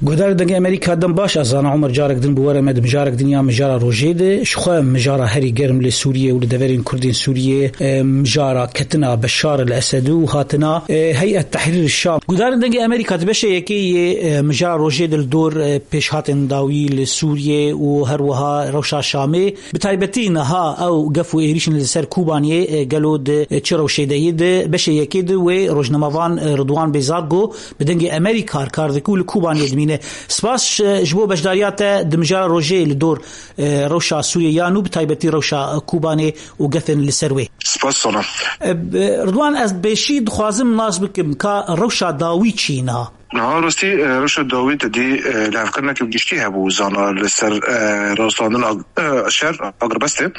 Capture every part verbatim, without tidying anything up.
Guhdarên Dengê Amerîka, dem baş, ez zanim Omer carek din bi we re me di mijarek din ya mijara rojê de. Ji xwe mijara herî germ li Sûriyê û li deverên Kurdên Sûriyê, e, mijara ketina Beşar el Esedî û hatina, e, Heyet Tehrîr Şam. Guhdarên Dengê Amerîka di beşê yekê yê, e, mijara rojê de li dor, e, pêşhatên dawî li Sûriyê û her wiha rewşa Şamê, bi taybetî niha ew gef û êrîşên li ser Kobaniyê, e, gelo di, e, çi rewşê de yê? Di beşê yekê de wê rojnamevan, e, Ridwan Bêzar got, bi Dengê Amerîka kar dike û li Kobaniyê dimîne. Spas, e, ji bo beşdariya te di mijara rojê li dor, e, rewşa Sûriyê ya nû, bi taybetî rewşa, e, Kobanê û gefên li ser wê. Spas sana. E, b-, Ridwan, ez pêşî dixwazim nas bikim ka rewşa dawî çi ye niha? Niha rastî, e, rewşa dawî te dî, e, lihevkirineke giştî hebû zana li ser, e, rawestandin ag-, e, şer agirbestê.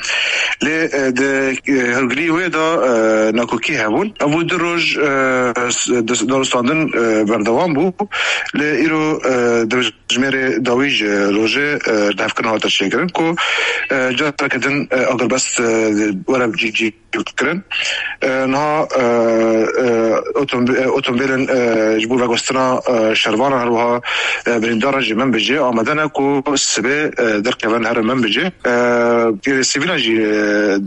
Lê, e, di, e, hûrgilî wê de, e, nakokî hebûn. Ev du roj, e, s-, di, di rawestandin, e, berdewam bû. Lê îro, e, di jimêrê dawî ji rojê, e, lihevkirin hate çêkirin ku, e, careke din, e, agirbest, e, were cî, cî kirin. E, niha, e, e, otombi-, e, otomobîlên, e, ji bo veguhestina, e, şervanan, her wiha, e, birîndaran jî Menbicê amade ne ku sibê, e, derkevin herin Menbicê. E, gelê sivîlan jî, e,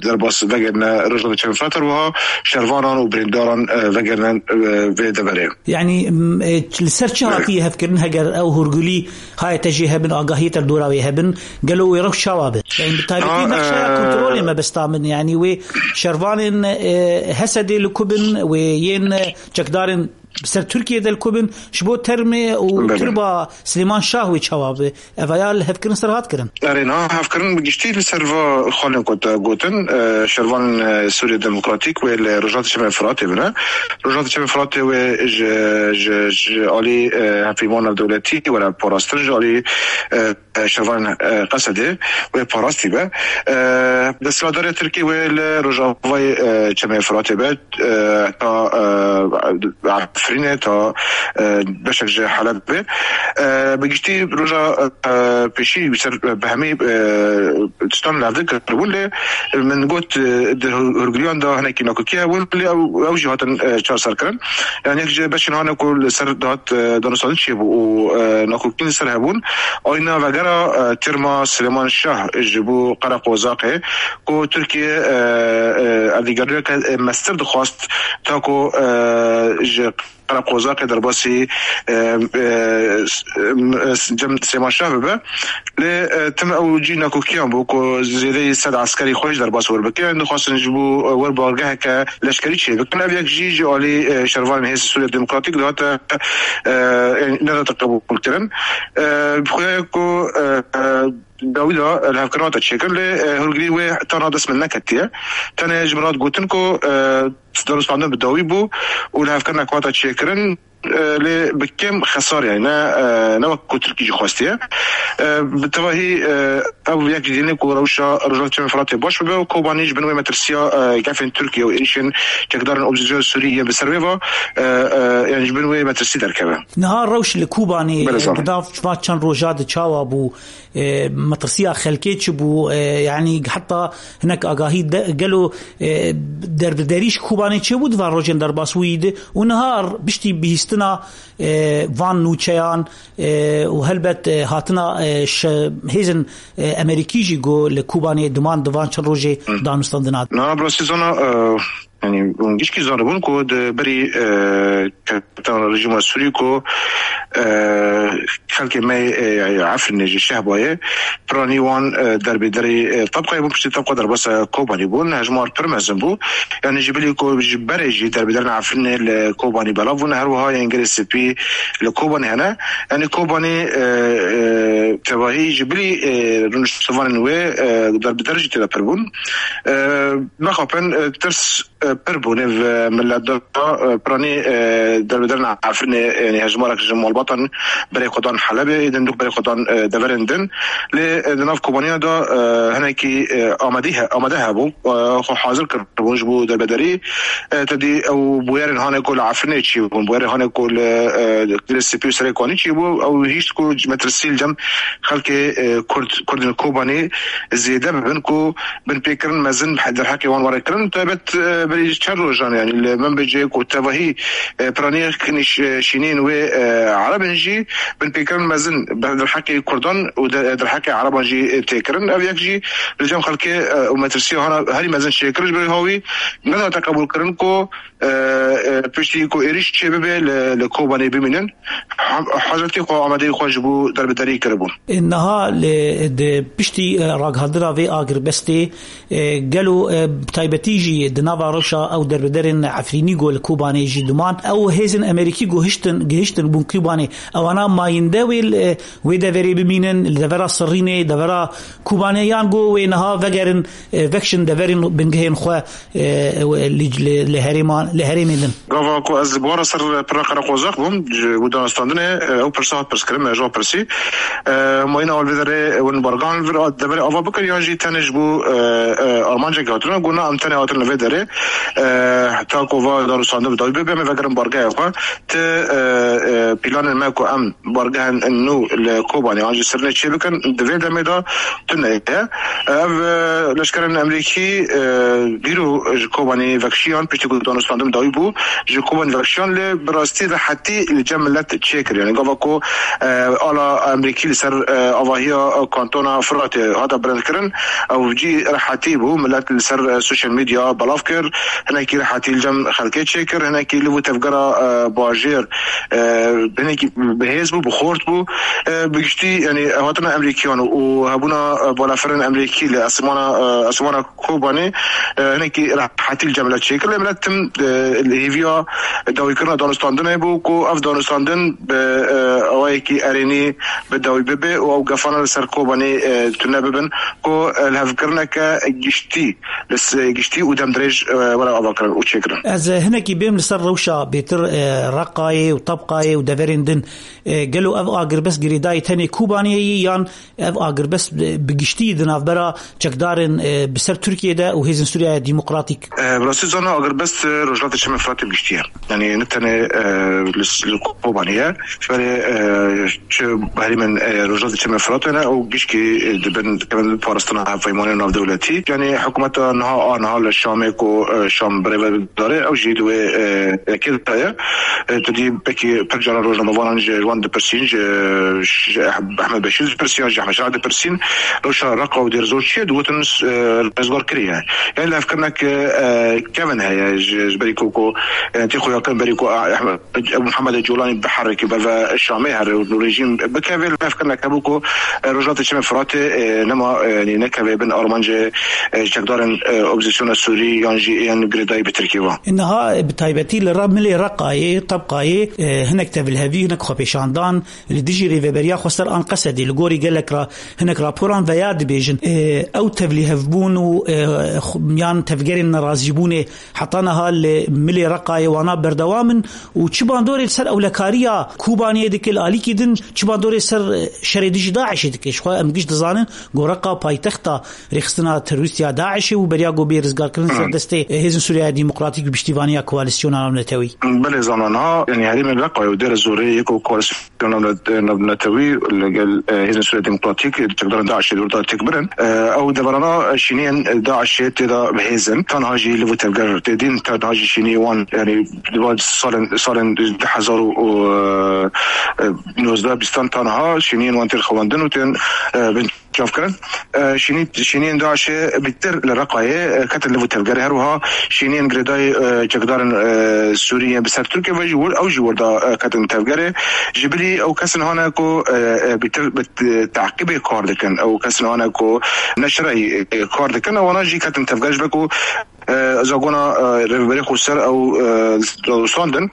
derbas vegerine Rojhilata Çemê Firat, her wiha şervanan û birîndaran, e, vegerine, e, vê deverê. Yanî, m, e, li ser çi hatiye hevkirin heger ew hûrgilî Haye te jê hebin, agahiyê te li dora wê hebin, gelo wê rewş çawa be? Yani bi taybetî Ha, nexşeya e, kontrolê mebesta min, yani wê şervanên, e, Hesedê li ku bin, wê yên, e, çekdarên ser Tirkiyê de li ku bin, ji bo termê û Belê. tirba Silêman Şah wê çawa be? Eva ya li hevkirin ser hat kirin. Erê, niha hevkirin bi giştî li ser va xalên ku te gotin, e, şervanên, e, Sûriye Demokratîk wê li Rojhilata Çemê Firatê bine. Rojhilata Çemê Firatê wê ji, ji, ji alî, e, Hevpeyvana Dewletî were parastin, ji alî, e, e, şervanên, e, Qesedê wê parastî be. E, desthilatdariya Tirkî wê li rojavayê, e, Çemê Firatê be, e, ta, e, Efrînê, ta, e, beşek ji Helebê. E, bi giştî roja, e, pêşî ser bi hemî, e, tiştan levdin kiribûn, lê min got, e, di hurgiliyan de hinekî nakokî hebûn, lê ew, ew jî hatin, e, çarserkirin. Yani yek ji beşên hane ku li ser dihat, e, danûstandin çêbû û, e, nakokîn li ser hebûn. Ayna vegera, e, tîrma Silêman Şah ji bo Qereqozaqê ku Tirkiye, e, e, erdîgeriyeke, e, mestir dixwast ta ku, e, ji Qereqozaqê derbasî, e, e, s-, e, s-, cem Silêman Şah bibe. Lê, e, tim ew cî nakokiyan bû ku zêdeyî sed eskerî xwe ji derbas wer bike. Em dixwastin ji bo, e, wer bargeheke leşkerî çêbikin. Ev yek jî ji alî, e, şervanên Hêzên Sûriya Demokratîk dihate, e, e, nedate qebûlkirin. E, bi xwe ku, e, e, dawî de, e, lihevkirin hate çêkirin, lê, e, hûrgilî wê tana dest min neketiye. Tenê ji min hat gotin ku, e, danûstandin bi dawî bû û lihevkirinek hate çêkirin. E, lê bi kêm xesar, yani ne, e, ne wek ku Tirkî jî xwestiye. E, bi tevahî, e, ev yek jî dînê ku rewşa Rojhilata Çemê Firatê baş bibe û Kobanî ji bin wê metirsiya, e, gefên Tirkiye û êrîşên çekdarên opozîsyona Sûrî yên bi ser wê ve, e, e, yani ji bin wê metirsî derkeve. Niha rewş li Kobanî, Belê, e, sağ ol. di nav va çend roja de çawa bû? E, metirsiya xelkê çi bû? E, yani heta hinek agahî de, gelo, e, derbiderî ji Kobanê çêbû di van rojên derbasbûyî de û niha piştî bihîstina, e, van nûçeyan, e, û helbet, e, hatina, e, şe-, hêzên, e, Amerîkî jî ku li Kobanê diman di van çend rojê Hı. danûstandin hat. Na, bi rastî zana, e, Yani, hûn gişkî zanibûn ku di berî, e, kevtina rejîma Sûrî ku, e, xelkê me, e, Efrînê ji Şehbayê, piranî wan, e, derbêderî, e, Tebqayê bûn, piştî Tebqa derbasa Kobanî bûn, hejmar pir mezin bû. Yani, ji bilî ku ji berê jî derbêderên Efrînê li Kobanî belav bûn, her wiha yên Gelê Spî li Kobanî hene. Yani, Kobanî, e, e, tevahî ji bilî, e, rûniştivanên wê, e, derbêder jî tê de pir bûn. E, Mexapin, e, tirs e, pir bû nêv, e, milet de, e, piranî, e, derbederin Efrînê, yani hejmarek ji malbatan berê xwe dan Helebê, êdin dûk berê xwe dan, e, deverên din. Lê, e, di nav Kobaniya de, e, hinekî, e, amadî he-, amade hebû, e, xwe hazir kiribûn ji bo derbederî. E, te dî ew bûyerên hane ku li Efrînê çî bûn, bûyerên hane ku li, e, Dilê Spî û Serê Kanî çî bû, ew hîşt ku metirsî li cem xelkê, e, Kurd, Kurdên Kobanî zêde bibin ku binpêkirin mezin derheqê wan were kirin. Taybet, e, berî çend rojan, yanî li min bicê ku tevahî, e, piranî xikirî ş-, şînên wê, e, Ereb in jî binpêkirin mezin ber derheqê Kurdan û de-, derheqê Ereban jî, e, tê kirin. Ev yek jî li cem xelkê, e, û metirsiya hana herî mezin çêkir ji ber hawî nedihate qebûlkirin ku, e, e, piştî ku êrîş çêbibe li, li Kobanê bimînin. Hem-, hezretî xwe amadeyî xwe ji bo derbederî kiribûn. Niha li, di piştî, e, ragihandina vê agirbestê, e, gelo, e, bi taybetî jî di nava rewşa ew derbederên Efrînî ku li Kobanê jî diman, ew hêzên Amerîkî ku hiştin, gihiştin bûn Kobanê, ewana mayînde wê li, wê deverê bimînin, li devera Sirrînê, devera Kobanê, yan ku wê niha vegerin, e, vekişin deverên bingehên xwe, e, li, li, li herêman, li herêmê din. Gava ku ez ji bo re ser pirra qereqozaq bûm, ji bo danûstandinê, e, ew pirsa hat pirskirin, me ji wan pirsî. E, mayîna wan vê derê, e, hûn bargehan vir a-, deverê ava bikin, yan jî tenê ji bo, e, e, armancekê hatine? Got na, em tenê hatin li vê derê. E, heta ku va danûstandin bi dawî bibe, em ê vegerin bargehê xwe. Ti, e, e, planên me ku em bargehên nû li Kobanê an jî Sirrînê çêbikin, di vê demê de tune ye. Ev, e, leşkerên Amerîkî, e, dîro ji Kobanê vekişiyan, piştî ku danûstandin dawî bû, ji Kobanê vekişiyan, lê bi rastî rehetî li cem milet çêkir. Yanî gava ku, e, ala Amerîkî li ser, e, avahiya kantona Firatê hate bilindkirin, ew cî rehetî bû. Milet li ser, e, sosyal medya belav kir, hinekî rehetî li cem xelkê çêkir, hinekî li bo tevgera, e, bajêr, e, hinekî bihêz bû, bi xort bû. E, bi giştî, yanî, hatina Amerîkiyan û hebûna, e, balafirên Amerîkî li esmana, e, esmana Kobanê, e, hinekî rehetî li cem milet çêkir. Lê milet tim, e, li hêviya dawîkirina danûstandinê bû ku ev danûstandin bi, e, awayekî erênî bi dawî bibe û ew gefana li ser Kobanê, e, tune bibin ku, e, lihevkirineke giştî, li s-, giştî û demdirêj, e, were avakirin û çêkirin. Ez, e, hinekî bêm li ser rewşa bêtir, e, Reqayê û Tebqayê û deverên din. E, gelo ev agirbest girêdayî tenê Kobanê ye yan ev agirbest, e, bi giştî di navbera çekdarên, e, bi ser Tirkiyê de û Hêzên Sûriya Demokratîk? E, bi rastî zana agirbest, e, Rojhilatê Çemê Firatê bi giştî ye. Yanî ne tenê, e, li, li Kobanê ye. Ji berê, e, çi herêmên, e, Rojhilatê Çemê Firatê ne, ew gişkî, e, dibin, dikevin parastina hevpeymanên navdewletî. Yanî hikûmeta niha a niha li Şamê ku, e, Şam birêve dare, ew jî di wê, e, yekê de ye. E, tu dî pekî pir caran rojnamevanan ji wan dipirsîn, ji, ji Ehmed Beşîr dipirsîn, ji Ehmed Şah dipirsîn. Rewşa Reqa û Dêrezor çi ye? Digotin, e, rizgar kiriye. Yanî lihevkirinek, e, kevin heye ji, ji berî ku, ku, e, tê xuyakirin berî ku, e, Ehmed, Ebu Muhammed Colanî biherike, beve Şamê here û rejîm bikeve, lihevkirinek hebû ku, e, Rojhilatê Çemê Firatê, e, nema, e, yanî nekeve bin armancê, e, çekdarên, e, opozîsyona Sûrî yan jî ên girêdayî bi Tirkiyê ve. Niha, e, bi taybetî li re-, milê Reqayê, Tebqayê, e, hinek tevlihevî, hinek xwepêşandan li dijî Rêveberiya Xweser Anqesedê li gorî gelek ra-, hinek raporan veya dibêjin, e, ew tevlihevbûn û, e, xu-, yan tevgerên nerazîbûnê heta niha li milê Reqayê wana berdewam in û çi bandorê li ser ewlekariya Kobaniyê dike li alîkî din, çi bandorê ser, e, şerê dijî DAIŞê dike? Ji xwe em giş dizanin ku Reqa paytexta rêxistina terorîst ya DAIŞê û beriya ku bê rizgarkirin ser destê, e, Hêzên Sûriya Demokratîk bi piştîvaniya koalîsyona navnetewî. Belê zana niha, yanî herêmên Reqayê û Dêrezorê yek û koalîsyon navnet-, navnetewî li gel, e, Hêzên Sûriya Demokratîk, e, çekdarên DAIŞê li wir de têk birin. E, ew deverana şîniyên DAIŞê tê de bi hêz in. Tanha jî li vir tevger tê dîn, tanha jî şîniyê wan, yanî di van salên, salên du hezar û, e, e, nozdeh bîstan tanha şîniyên wan tên xewendin û tên, e, bin çavkirin. E, şînî-, şîniyên DAIŞê bîtir li Reqayê, e, ketin li vir tevgerê. Her wiha şîniyên girêdayî, e, çekdarên, e, Sûrî yên bi ser Tirkiye ve jî wir, ew jî wir de, e, ketin tevgerê. Ji bilî ew kesin hane ku, e, e, bîtir bi t-, teqîbê kar dikin. Ew kesin hane ku neşreyî, e, kar dikin. Ewana jî ketin tevger ji ber ku, e, zagona, e, rêveberê xweser ew, e, danûstandin.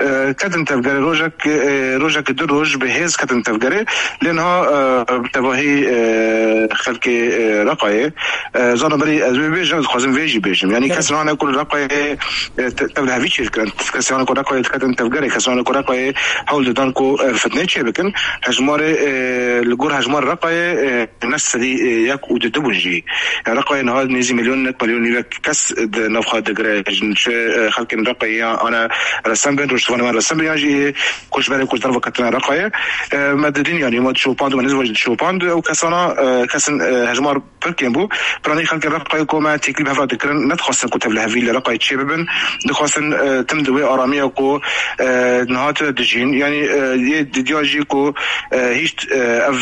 E, ketin tevgerê rojek, e, rojek du roj bi hêz ketin tevgerê. Lê niha, e, bi tevahî, e, xelkê, e, Reqayê, e, zana berî ez wê bêjim, ez dixwazim vê jî bêjim. Yanî kes nane ku li Reqayê, e, te-, tevlihevî çêdikirin. Kes nane ku Reqayê diketin tevgerê, kes nane ku Reqayê hewl didan ku, e, fitnê çêbikin. Hejmarê, e, li gor hejmarê Reqayê, e, ne sedî, e, yek û du bûn jî. Reqayê niha nêzî milyon, nek milyon nîvek kes di nav xwe digire. Ji, e, xelkên Reqayê ya ana resem bin, rojhilatvanê wan resem bin, yan jî koçberê ku ji derve ketine Reqayê. E, me didin, yanî me dişopand û me nêz dişopand ew kesana, e, kesin, e, hejmar pir kêm bû. Piranî xelkê Reqayê ku me têkilî bi hev re dikirin, nedixwastin ku tevlihevî li Reqayê çêbibin. Dixwastin, e, tim di wê aramiya ku, e, niha tune dijîn. Yanî, e, yê didiya jî ku, e, hîç, e, ev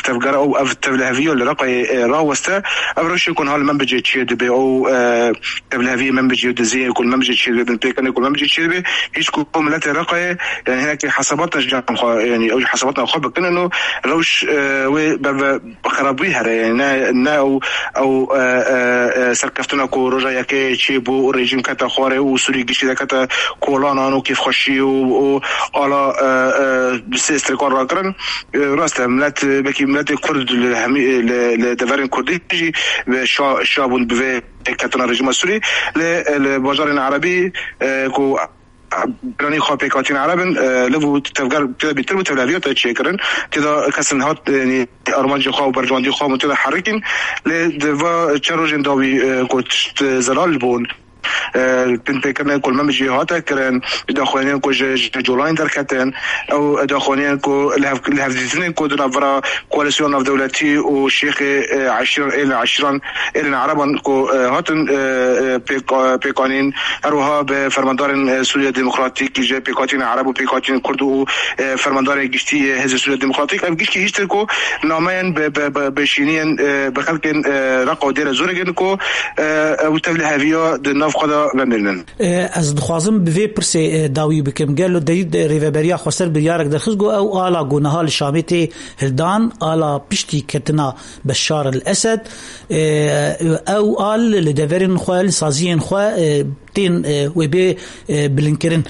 tevgera û ev tevliheviya li Reqayê, e, raweste. Ev rewşê ku niha li Menbicê çêdibe û, e, tevliheviyê Menbicê û diziyê ku li Menbicê çêdibe, binpêkirinê ku li Menbicê çêdibe, hîç ku miletê Reqayê, yanî hinekî hesabatna ji cem xwe, yanî ew jî hesabatna xwe bikin û rewş, e, wê berve xerabî here, ne, ne ew, ew, e, e, e, serkeftina ku roja yekê çêbû û rejîm kete xwarê û Sûrî giştî de kete kolanan û kêfxweşî û, û ala, e, e, bi sê strêkan rakirin. E, rast e, milet, e, belkî miletê Kurd li hemî, e, li, li deverên Kurdî jî bi şa, şa bûn bi vê ketina rejîma Sûrî. Lê, e, li bajarên Erebî, e, ku Piranî xwe pêkhatîn Ereb in, e, liv û tevger tê de bîtir bû, tevliheviyat çêkirin. Tê de kesin hat, e, yanî armancê xwe û berjewendî xwe hûn tê de herikîn. Lê di va çend rojên dawî, e, ku tişt, e, zelal bûn, e, binpêkirinên ku li Menbicê hate kirin, daxuyaniyên ku ji, ji Colanê derketin, ew daxuyaniyên ku li hev-, li hevdîtinên ku di navbera koalîsyona navdewletî û şêxê, e, eşîran, êlên eşîran, êlên Ereban ku, e, hatin, e, e, pêk-, pêkanîn, her wiha bi fermandarên, e, Sûriya Demokratîk, ji pêkhatiyên Ereb û pêkhatiyên Kurd û, e, fermandarê giştî yê Hêzên Sûriya Demokratîk. Ev giştî hîştir ku nameyên bi, bi, bi, bi şîniyên, e, bi xelkên, e, Reqa û Dêre Zorê girin ku, e, ew tevliheviya di nav xwe de vemêrinin. E, ez dixwazim bi vê pirsê, e, dawî bikim. Gelo derî de Rêveberiya Xweser biryarek derxist, got ew ala ku niha li Şamê tê hildan, ala piştî ketina Beşar el Esed, e, ew al li deverên xwe, li saziyên xwe, e, tên, e, wê bê, e, bilindkirin.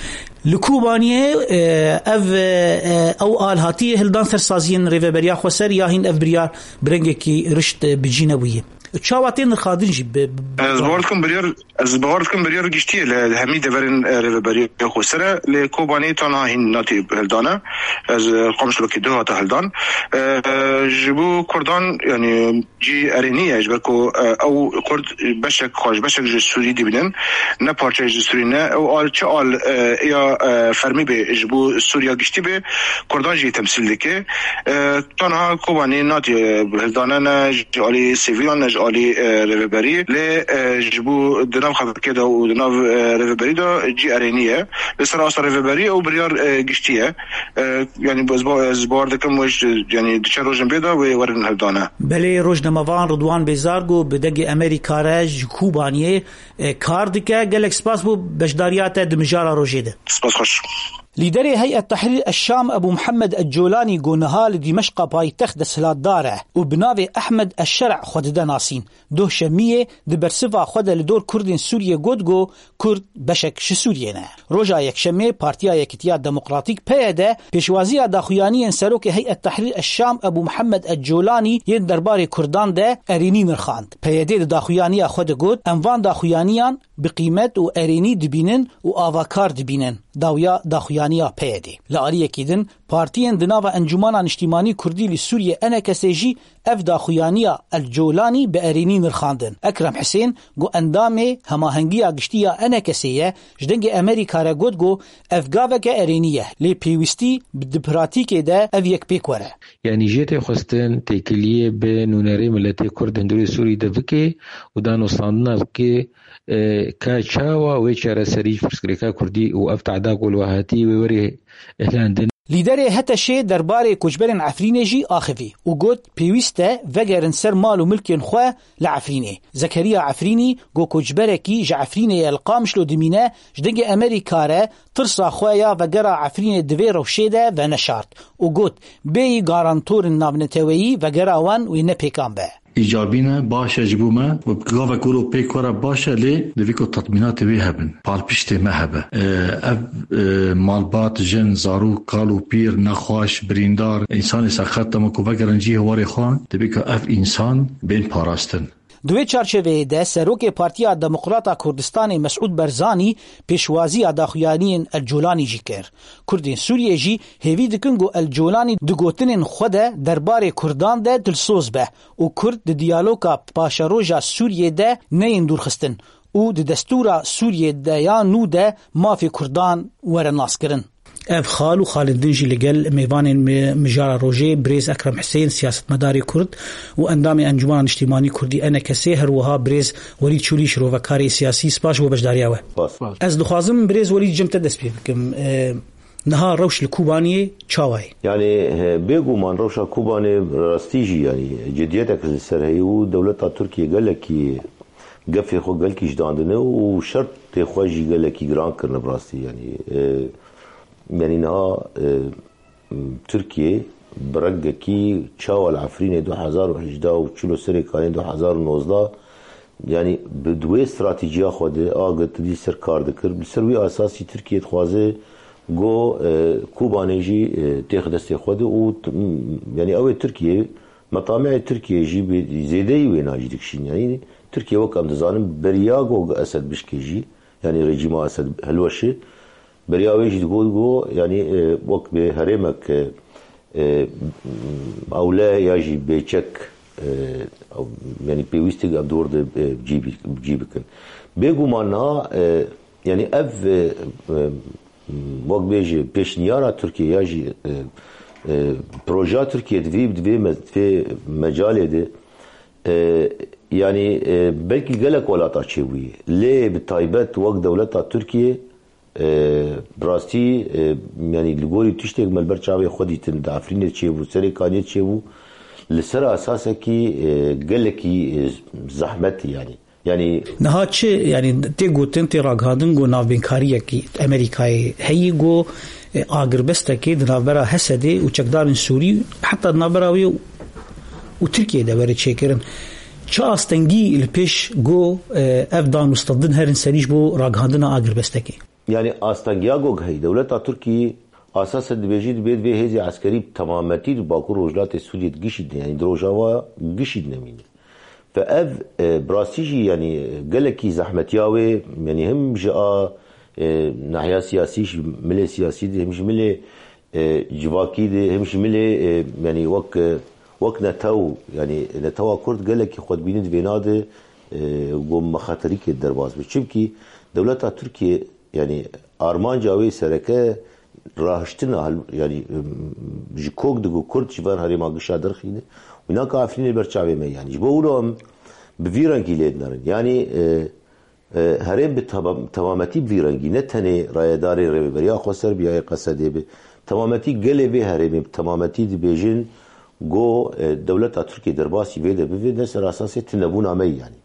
Li Kobaniyê, e, ev, e, ew al hatiye hildan ser saziyên Rêveberiya Xweser ya hîn ev biryar bi rengekî rişt, e, bi cî nebûye? Çawa tê nirxandin jî bi, bi Ez bawer dikim biryar, ez bawer dikim biryar giştî ye li hemî deverên, e, Rêveberiya Xweser e, lê Kobaniyê tanha hîn natê hildane. Ez, e, Qamişlo ki du hate hildan. E, ji bo Kurdan, yanî cî erênî ye, ji ber ku, e, ew Kurd beşek xwe ji beşek ji Sûrî dibînin, ne parçeyek ji Sûrî ne. Ew al çi al, e, ya, e, fermî be ji bo Sûriya giştî be, Kurdan jî temsîl dike. E, Tanha Kobanî natiye hildane ne ji alî sivîlan ne ji alî, e, rêveberî. Lê, e, ji bo di nav xelkê de û di nav, e, rêveberî de cî erênî ye. Li ser asta rêveberî ew biryar, e, giştî ye. E, yanî ez ba-, ez bawer dikim wê ji, yanî di çend rojên bê de wê werin hildane. Belê, rojnamevan Ridwan Bêzar got bi dengê Amerîka re ji Kobaniyê, e, kar dike. Gelek spas bo beşdariya te di mijara rojê de. Spas xweş. Lîderê Heyet Tehrîr Eşşam Ebû Mihemed Eccolanî ku niha li Dîmeşqa paytext desthilatdar e û bi navê Ehmed Eşşer'a xwe dide nasîn, doh şemiyê di bersiva xwe de li dor Kurdên Sûriyê got ku Kurd beşek ji Sûriyê ne. Roja Yekşemê Partiya Yekitiya Demokratîk, P Y D, pêşwaziya daxuyaniyên Serokê Heyet Tehrîr Eşşam Ebû Mihemed Eccolanî yên derbarê Kurdan de erênî nirxand. P Y D di daxuyaniya xwe de got, em van daxuyaniyan bi qîmet û erênî dibînin û avakar dibînin. Dawiya daxuyaniya P Y D. Li aliyekî din, partiyên di nava Encûmana Niştîmanî Kurdî li Sûriyê, E N K S, jî ev daxuyaniya El Colanî bi erênî nirxandin. Ekrem Hisên, ku endamê Hemahengiya Giştî ya E N K S ye, ji Dengê Amerîka re got ku ev gaveke erênî ye, lê pêwîstî bi di pratîkê de ev yek pêk were. Yanî jê tê xwestin têkiliyê bi nûnerê miletê Kurd hundirê Sûrî de bike û danûstandina bike, e, ka çawa wê çareserî ji pirsgirêka Kurdî û ev tehda ku li we hatî wê werê hilandin. Lîderê H T Şê derbarê koçberên Efrînê jî axivî û got, pêwîst e vegerin ser mal û milkên xwe li Efrînê. Zekeriya Efrînî, ku koçberekî ji Efrînê ye, li Qamişlo dimîne, ji Dengê Amerîka re tirsa xwe ya vegera Efrînê di vê rewşê de veneşart û got, bêyî garantorên navneteweyî vegera wan wê nepêkan be. Îcabî ne, baş e ji bo me. Gavek wilo pêk were baş e, lê divê ku tatmînatê wê hebin. Palpiştê me hebe. E, ev, e, malbat, jin, zarok, kal û pîr, nexweş, birîndar, însanê seqet, dema ku vegerin cihê warê xwe, divê ku ev însan bên parastin. Di wê çarçeveyê de Serokê Partiya Demokrata Kurdistanê Mesûd Barzanî pêşwaziya daxuyaniyên El Colanî jî kir. Kurdên Sûriyê jî hêvî dikin ku El Colanî di gotinên xwe de derbarê Kurdan de dilsoz be û Kurd di diyaloga paşeroja Sûriyê de neyên dûrxistin û di destûra Sûriyê de ya nû de mafê Kurdan were naskirin. Ev xal û xalên din jî li gel mêvanên mi-, mijara rojê birêz Ekrem Husên, siyasetmedarê Kurd û endamê Encûmena Niştîmanî Kurdî, E N K S, her wiha birêz Welîd Çûlî, şirovekarê siyasî, spas ji bo beşdariya we. Spas. Ez dixwazim birêz Welîd cem te dest pê bikim. E, niha rewş li Kobaniyê çawa ye? Yani, e, bêguman rewşa Kobanê rastî jî, yani, cidiyetek li ser heye û dewleta Tirkiye gelekî gefê xwe gelkî ji dandine û şertê xwe jî gelekî giran kirine bi rastî. Yani, e, yani niha, e, Tirkiye bi rengekî çawa li Efrînê du hezar û hejdeh û çilo Serê Kanê du hezar û nozdeh, yani bi di wê stratejiya xwe de a girtî ser kar dikir. Li ser wî asasî Tirkiye dixwaze go, e, Kobanê jî, e, têx destê xwe de û t-, yani ew ê Tirkiye, metamihê Tirkiye jî bi zêdeyî wêna jî dikişîn. Yani Tirkiye wek em dizanin beriya go Esed bişkê jî, yani rejîma Esed hilweşe, beriya wê jî digot go, yani, e, wek bi herêmek, e, e, ewle ya jî bêçek, e, yani pêwîstik em dor de, e, cî bi-, cî bikin. Bêguman niha, e, yani ev, e, e, wek bêje pêşniyara Tirkiye ya jî, e, e, projeya Tirkiye di vê, di vê me-, di vê mecalê de, e, yani, e, belkî gelek welata çêbûyî. Lê bi taybet wek dewleta Tirkiye, e, bi rastî, e, yani li gorî tiştek me li ber çavê xwe dîtin, di Efrînê çêbû, Serê Kaniyê çêbû, li ser asasekî, e, gelekî, e, zehmet yani. Yani niha çi, yani tê gotin, tê ragihandin ku navbênkariyekî Amerîkayê heyî ku, e, agirbestekê di navbera Hesedê û çekdarên Sûrî, heta di navbera wê û Tirkiyê de were çêkirin. Çi astengî li pêş ku, e, ev dan û stendin herin serî ji bo ragihandina agirbestekê? Yani astengiya go heyî dewleta Tirkî asasen dibêjî dibê divê hêzê eskerî bi temametî di Bakur Rojhilatê Sûriyê digişîdin. Yani di Rojava gişîdine mîne. Ve ev, e, bi rastî jî, yani, gelekî zehmetiya wê, yani, him ji a, e, nahiya siyasî, ji milê siyasî de, him ji milê, e, civakî de, him ji milê, e, yani, wek, e, wek netew, yani, netewa Kurd gelekî xwe dibîne di vêna de, e, ku mexeterîkê derbas be. Çimkî dewleta Tirkiye, yani, armanca wê sereke rahiştina hel-, yani, em, ji kok digo Kurd ji van herêma gişa derxîne. Wî naka Efrînê ber çavê me, yani. Ji bo wilo em bi vî rengî lê dinerin. Yani, e, e, herêm bi tebam-, temametî bi vî rengî, ne tenê rayedarê Rêveberiya Xweser bi ya yê Qesedê bi. Temametî gelê vê herêmê bi temametî dibêjin, go, e, dewleta Tirkiye derbasî vê de bibe, ne ser asasê tunebûna me, yani.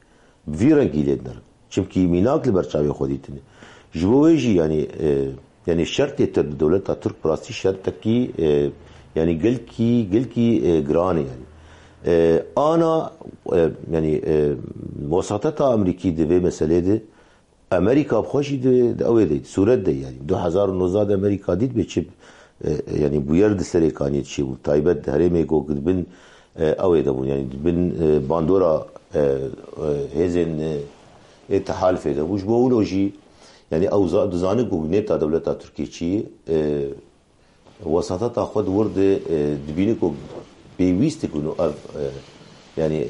Bi vî rengî lê dinerin. Çimkî mînak li ber çavê xwe dîtine. Ji bo wê jî, yanî, e, yanî şertê Tirk, dewleta Tirk bi rastî şertekî, e, yanî gelkî, gelkî, e, giran e, yanî. E, ana, e, yanî, e, wesateta Amerîkî di vê meselê de, Amerîka bi xwe jî di, di ew ê de, di sûret de, yanî. Du hezar û nozdeh de Amerîka dît bê çi, e, yanî bûyer di Serê Kaniyê çêbû. Taybet di herêmê ku di bin, e, ew ê de bûn, yanî di bin, e, bandora, e, e, hêzên, e, ê tehalifê de bû. Ji bo wilo jî, yanî ew za-, dizane ku nêta dewleta Tirkiyê çi ye, e, wesateta xwe di wir de, e, dibîne ku pêwîst e ku ev, e, yanî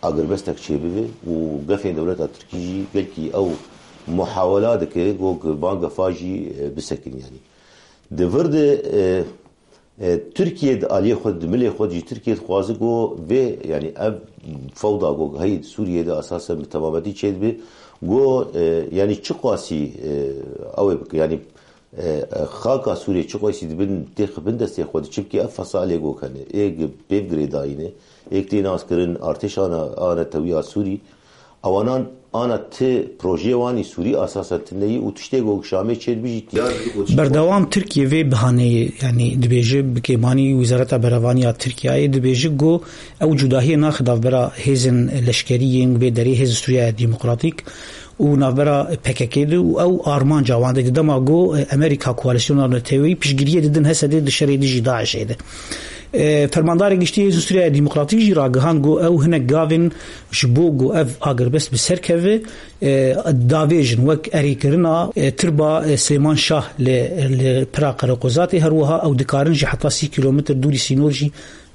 agirbestek çêbibe û gefên dewleta Tirkî jî gelkî ew muhawela dike ku van gefa jî, e, bisekin, yanî. Di vir de, e, e, Tirkiye di aliyê xwe, di milê xwe jî Tirkiye dixwaze ku vê, yanî ev fewda ku heyî di Sûriyê de esasen bi temametî çêdibe, ku, e, yanî çiqasî, e, ew ê bike, yanî, e, e, xaka Sûriyê çiqasî dibin têxibin destê xwe de, çimkî ev fesalê ku hene, ê gi-, pêv girêdayî ne, ê tê naskirin, artêşana, a netewiya Sûrî, Ewanan ana ti projeyê wan î Sûrî asasen tune yî û tiştê ku Şamê çêdibî jî tî. Berdewam Tirkiye vê bihaneyê, yanî dibêje, bi kêmanî Wezareta Berevaniya Tirkiyeyê dibêje ku ew cudahiyê naxe navbera hêzên leşkerî yên vê derê, Hêzên Sûriyeya Demokratîk û navbera P K K de û ew armanca wan de, di dema ku Amerîka, koalîsyona neteweyî piştgiriyê didin Hesedê di şerê dijî DAIŞ'ê de. E, Fermandarê Giştî Hêzên Sûriyeya Demokratîk jî ragihand ku ew hinek gavên ji bo ku ev agirbest bi ser keve, e, davêjin, wek erêkirina, e, tirba, e, Silêman Şah li, li pira Qereqozatê, her wiha ew dikarin jî heta sî kîlometr dûrî sînor jî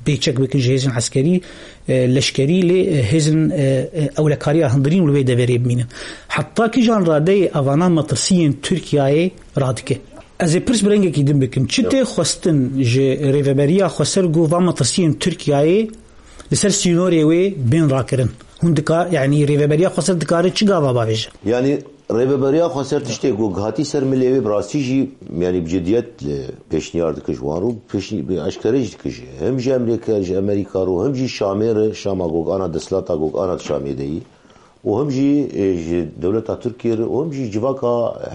pêçek bikin ji hêzên eskerî, e, leşkerî, lê, e, hêzên, e, e, ewlekariya hundirîn li wê deverê bimînin. Heta kîjan radeyê evana metirsiyên Tirkiyeyê radike? Ez ê pirs bi rengekî din bikim. Çi tê xwestin ji Rêveberiya Xweser ku van metirsiyên Tirkiyeyê li ser sînorê wê bên rakirin? Hûn dika, yanî Rêveberiya Xweser dikare çi gava bavêje? Yanî Rêveberiya Xweser tiştê ku hatî ser milê wê bi rastî jî, yanî bi cidiyet, e, pêşniyar dike ji wan re û pêşnî-, bi eşkere jî dike jî. Hem ji Amerîka, ji Amerîka re û hem jî Şamê re, Şama gog ana desthilata gog ana di Şamê de yî. Û hem jî, e, ji dewleta Tirkiyê re û hem jî civaka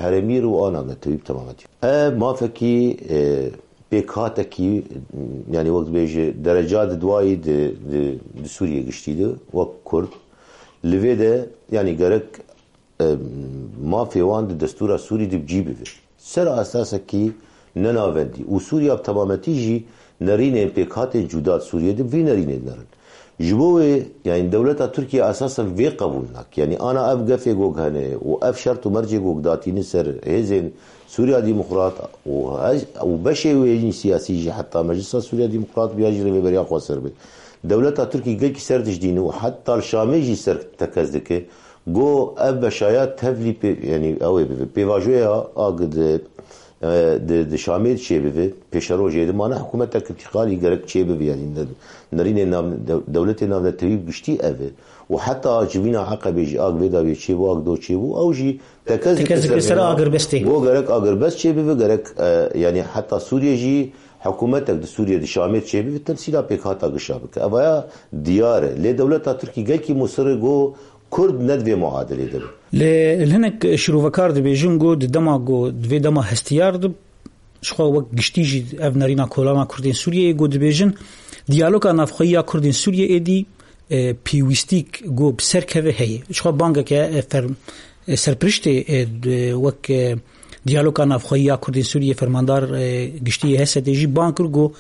herêmî re û ana netewî bi temametî. Ev mafekî, e, pêkhatekî, yanî wek dibêje dereca di duayî di, di, di Sûriyê giştî de wek Kurd. Li vê de, yanî gerek e, mafê wan di destûra Sûrî de bi cî bibe. Ser esasekî nenavendiya Sûriya bi temametî jî nerînên pêkhatên cuda di Sûriyê de bi vî nerînê dinerin. Ji bo wê, yanî dewleta Tirkiye esasen vê qebûl nake. Yanî ana ev gefê gog hene û ev şert û mercê gog datîne ser hêzên Sûriya Demokrat û he-, û beşê wê yî siyasî jî heta Meclisa Sûriya Demokrat biya jî Rêveberiya Xweser be. Dewleta Tirkî gelkî ser dijdîne û heta li Şamê jî ser tekez dike. Go ev beşaya tevlî pê, yanî ew ê bibe. Pêvajoya a gi di, e, di, di Şamê çê bibe, pêşerojê de mane hikûmetek întîqalî gerek çê bibe, yanî ne-, nerînê nav-, dew-, dewletê navnetewî bi giştî ev e. Û heta civîna Eqebê jî a gi vê dawiyê çê bû, a gi do çê bû, ew jî tekez dike Tekez dike ser ser vê agirbestê. Go gerek agirbest çê bibe, gerek, e, yanî heta Sûriyê jî hikûmetek di Sûriyê, di Şamê çê bibe, temsîla pêkhata gişa bike. Evaya diyar e. Lê dewleta Tirkî gelkî musir e go Kurd ne di vê muadilê de be. Lê hinek şîrovekar dibêjin ku di dema ku di vê dema hestiyar de, ji xwe wek giştî jî ev nerîna kolana Kurdên Sûriyeyê ku dibêjin, diyaloga navxweyî ya Kurdên Sûriyê êdî, e, pêwîstîk ku bi ser keve heye. Ji xwe bangeke, e, fer-, e, serpiriştê, e, d-, wek, e, diyaloga navxweyî ya Kurdên Sûriyê, fermandar, e, giştî yê H S D'ê jî bang kir ku,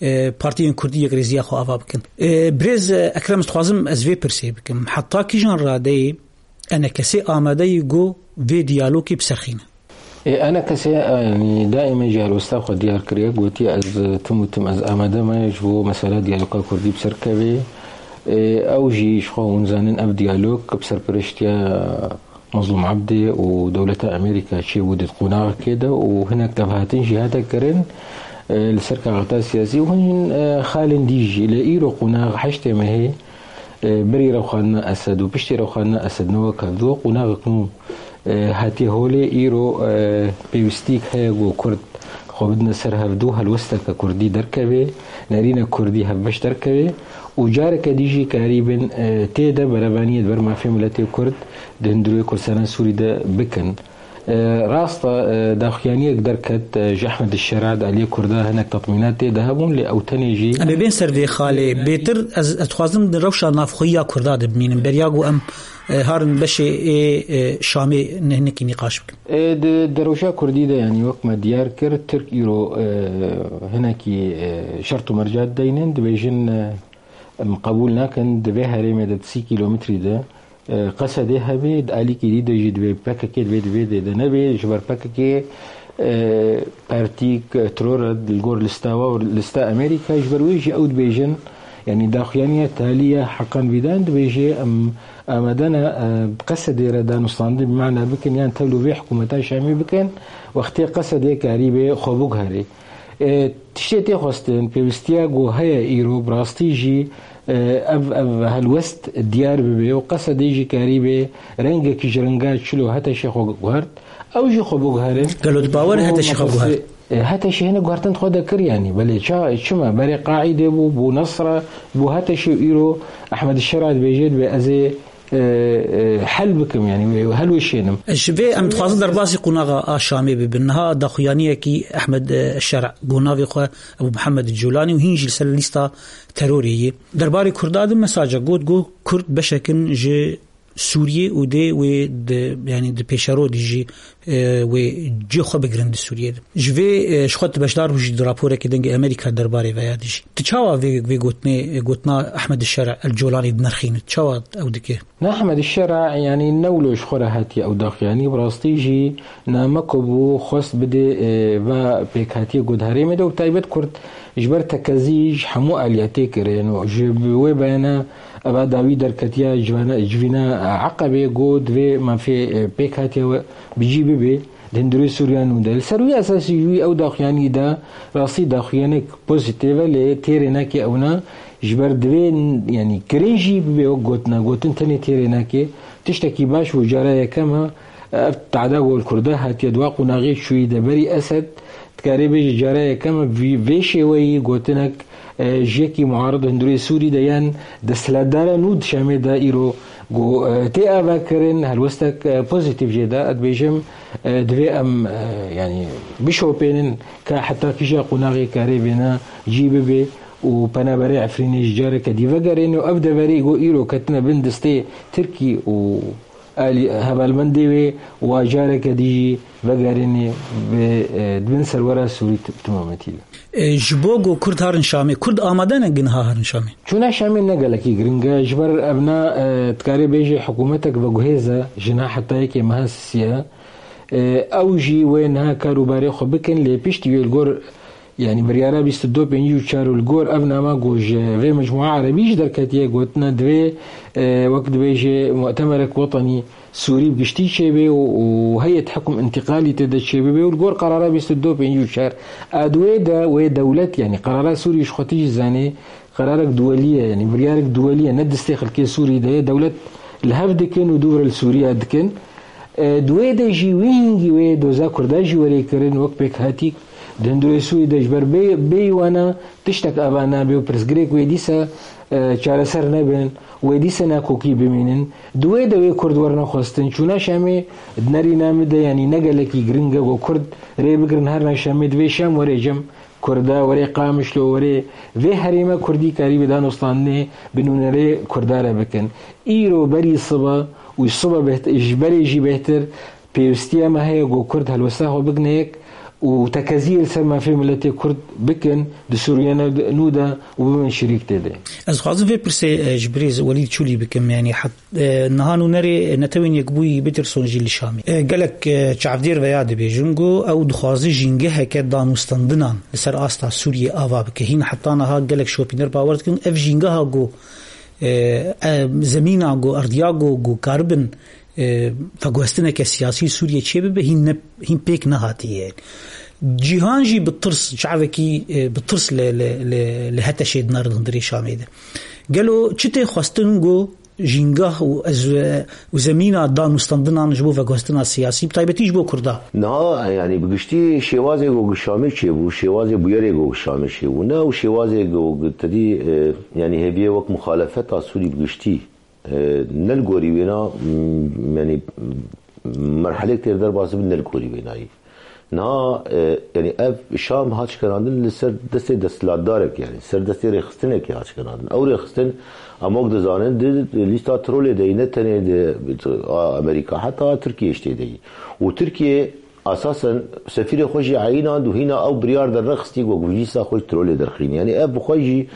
e, partiyên Kurdî yekrêziya xwe ava bikin. E, birêz, e, Ekrem, ez dixwazim ez vê pirsê bikim. Heta kîjan radeyê E N K S amade ye ku vê diyalogê biserxîne? E, E N K S, e, yanî daîme jî helwesta xwe diyar kiriye, gotiye ez, e, tim û tim ez amade me ji bo mesela diyaloga Kurdî bi ser kevê. E, ew jî ji xwe hûn zanin ev diyalog bi serpiriştiya Mezlûm Ebdî û dewleta Amerîka çêbû di qonaxekê de û hinek tevhatin jî hate kirin, e, li ser kaxita siyasî û hin, e, xalên dî jî. Lê îro qonax heştê mehê, e, berî rewxandina Esed û piştî rewxandina Esed ne wek hevdu, qonaxek nû, e, hatiye holê. Îro, e, pêwîstîk heye ku Kurd xwe bidine ser hevdu, helwesteke Kurdî derkeve, nerîne Kurdî hevbeş derkeve û careke dî jî karîbin, e, tê de berevaniyê di ber mafê miletê Kurd di hundirê Kurdistana Sûrî de bikin. E, rast e, e, daxuyaniyek derket, e, ji Ehmed Şera di aliyê Kurda hinek tatmînat tê de hebûn, lê ew tenê jî Em ê bên ser vê xalê. Bêtir ez, ez dixwazim di rewşa navxweyî ya Kurda de bimînim. Beriya ku em, e, harin beşê ê, e, Şamê ne-, hinekî nîqaş bikin. E, di, di rewşa Kurdî de, yanî wek me diyar kir, Tirk îro, e, hinekî, e, şert û merca dideynin, dibêjin, e, em qebûl nakin, di vê herêmê de di sî kîlometrî de, e, Qesedê hebe, di alîkî dî de jî divê P K K divê di vê dê de nebe, ji ber P K K, e, partîk, e, teror e, li gor lista we, lista Amerîka, ji ber wê jî ew dibêjin, yanî daxuyaniya talî ya Hakan Fidan dibêje, em amade ne, e, bi Qesedê re danûstandin bi mana bikin, yan tevlû vê hikûmeta Şamê bikin, wextê Qesedê karîbe xwe biguherê. E, tiştê tê xwestin, pêwîstiya ku heye îro, bi rastî jî, e, ev, ev helwest diyar bibe û Qesedê jî karîbe rengekî ji renga çilo HTŞê xwe guhert, ew jî xwe biguherin. Gelo tu bawer e HTŞê xwe guhert? E, HTŞê hinek guhertin xwe de kir, yanî, belê ça, çima? Berê Qaîdê bû, bû Nesra, bû HTŞê û îro Ehmed Şera dibêje, dibê ez ê e, e, hel bikim, yanî wê helweşênim. Ji vê em dixwazin derbasî qonaxa a Şamê bibin. Niha daxuyaniyekî Ehmed, e, Şer'a, ku navê xwe Ebû Mihemed Colanî û hîn jî li ser lîsta terorê ye. Derbarê Kurda de mesaja got, got Kurd beşek in ji Sûriyê û dê wê di, yanî di pêşerodî jî, e, wê cihê xwe bigirin di Sûriyê de. Ji vê, e, ji xwe tu beşdar bû jî di raporekê Dengê Amerîka derbarê veya dijî. Tu çawa vê, vê gotinê, e, gotina Ehmed Şer'a El Colanî dinirxînî? Çawa ew dike? Ne Ehmed Şer'a, yanî ne wilo ji xwe re hatiye ew daxuyanî, bi rastî jî nameko bû xwest bidê, e, va pêkhatiyê ku di herêmê de û bi taybet Kurd Ji ber tekezî ji hemû aliyetê kirin û ji bi wê beyana eva dawî derketiya civana-, civîna Eqebê got divê mafê, e, pêk hatiye we bi cî bibe di hundirê Sûriya nû de. Li ser wî esasî jî wî ew daxuyanî da, rastî daxuyanek pozîtîf e, lê têrê nake ewna ji ber divê, yanî kirin jî bibe wek gotina, gotin tenê têrê nake. Tiştekî baş bû, cara yekem e, ev tehda ku li Kurda hatiye di wa qonaxê çûyî de berî Esed, dikarê bêje cara yekem e vî, vê şêweyî gotinek, e, ji yekî muarid hundirê Sûrî de yan desthilatdara nû di Şamê de îro ku, e, tê avakirin, helwestek, e, pozîtîf jê de, ez dibêjim, e, divê em, e, yanî bişopênin ka heta kîja qonaxê karê vêna cî bibe û penaberê Efrînê ji careke dî vegerên û ev deverê ku îro ketine bin destê Tirkî û alî hevalbendê wê û careke dî jî vegerêne bi, e, di bin serwera Sûrî t-, timametî de. E, ji bo ku Kurd harin Şamê, Kurd amade ne gin ha harin Şamê? Çûna Şamê ne gelekî giring e, ji ber evna, e, dikarê bêje hikûmetek veguhêz e, ji niha heta yekê meha sisiye. E, ew jî wê niha kar û barê xwe bikin, lê piştî wê li gor Yanî biryara bîst û du pêncî û çar û li gor ev nama ku ji vê mecmua erebî jî derketiye, gotine divê, e, wek dibêje mutemerek wetenî Sûrî bi giştî çêbe û, û heyet hikûm întîqalî tê de çêbibe û li gor qerara bîst û du pêncî û çar a di wê de wê dewlet, yanî qerara Sûrî ji xwe tijî zanê, qerarek duwelî ye, yanî biryarek duwelî ye, ne destê xelkê Sûrî de ye, dewlet li hev dikin û dû re li Sûriya dikin. E, di wê de jî wî hingî wê doza Kurda jî werê kirin wek pêkhatîk di hundirê Sûrî de ji ber bê, bêyî wana tiştek ava nabe û pirsgirêk wê dîsa, e, çareser nebin, wê dîsa nakokî bimînin. Di wê de wê Kurd werine xwestin. Çûna Şamê di nerîna min de, yanî ne gelekî giring e ku Kurd rê bigirin herine Şamê, divê Şam were cem Kurda, were Qamişlo, were vê herêma Kurdî karî bi danûstandinê bi nûnerê Kurda re bikin. Îro berî sibe û sibe beht-, ji berê jî bêhtir pêwîstiya me heye ku Kurd helwesta xwe bigine yek û tekeziyê li ser mafê miletê Kurd bikin di Sûriya nû de û bibin şirîk tê de. Ez dixwazim vê pirsê, e, ji birêz Welîd Çûlî bikim, yanî het-, e, niha nûnerê Netewên Yekbûyî Peterson jî li Şamê. E, gelek, e, çavdêr veya dibêjin ku ew dixwaze jîngeheke danûstandinan li ser asta Sûriyê ava bike. Hîn heta niha gelek şopîner bawer dikin ev jîngeha ku, e, e, zemîna ku, erdiya ku, ku karibin, e, veguhestineke siyasî Sûriyê çêbibe, hîn ne, hîn pêk nehatiye. Cîhan jî bi tirs, çavekî, e, bi tirs li, li, li, li HTŞ'ê dinare di hundirê Şamê de. Gelo çi tê xwestin ku jîngah û ez, û zemîna danûstandinan ji bo veguhestina siyasî, bi taybetî ji bo Kurda? Niha, yanî bi giştî şêwazê ku Şamê çêbû, şêwazê bûyerê ku Şamê çêbû, ne ew şêwazê ku tedî, e, yanî hêviyê wek muxalefeta Sûrî bi giştî, e, ne li gorî wêna, m, yanî merhelek têr derbas bin ne li gorî wênayî. Niha, e, yanî ev Şam hat şikenandin li ser destê desthilatdarek, yanî ser destê rêxistinekê hat şikenandin. Ew rêxistin, em wek dizanin, di lîsta trolê de yî, ne tenê di, a, Amerîka, heta Tirkiye jî tê de yî. Û Tirkiye esasen sefîrê xwe jî eyînand û hîna ew biryar derrexistî ku vîza xwe ji trolê derxînî. Yanî ev bi xwe jî,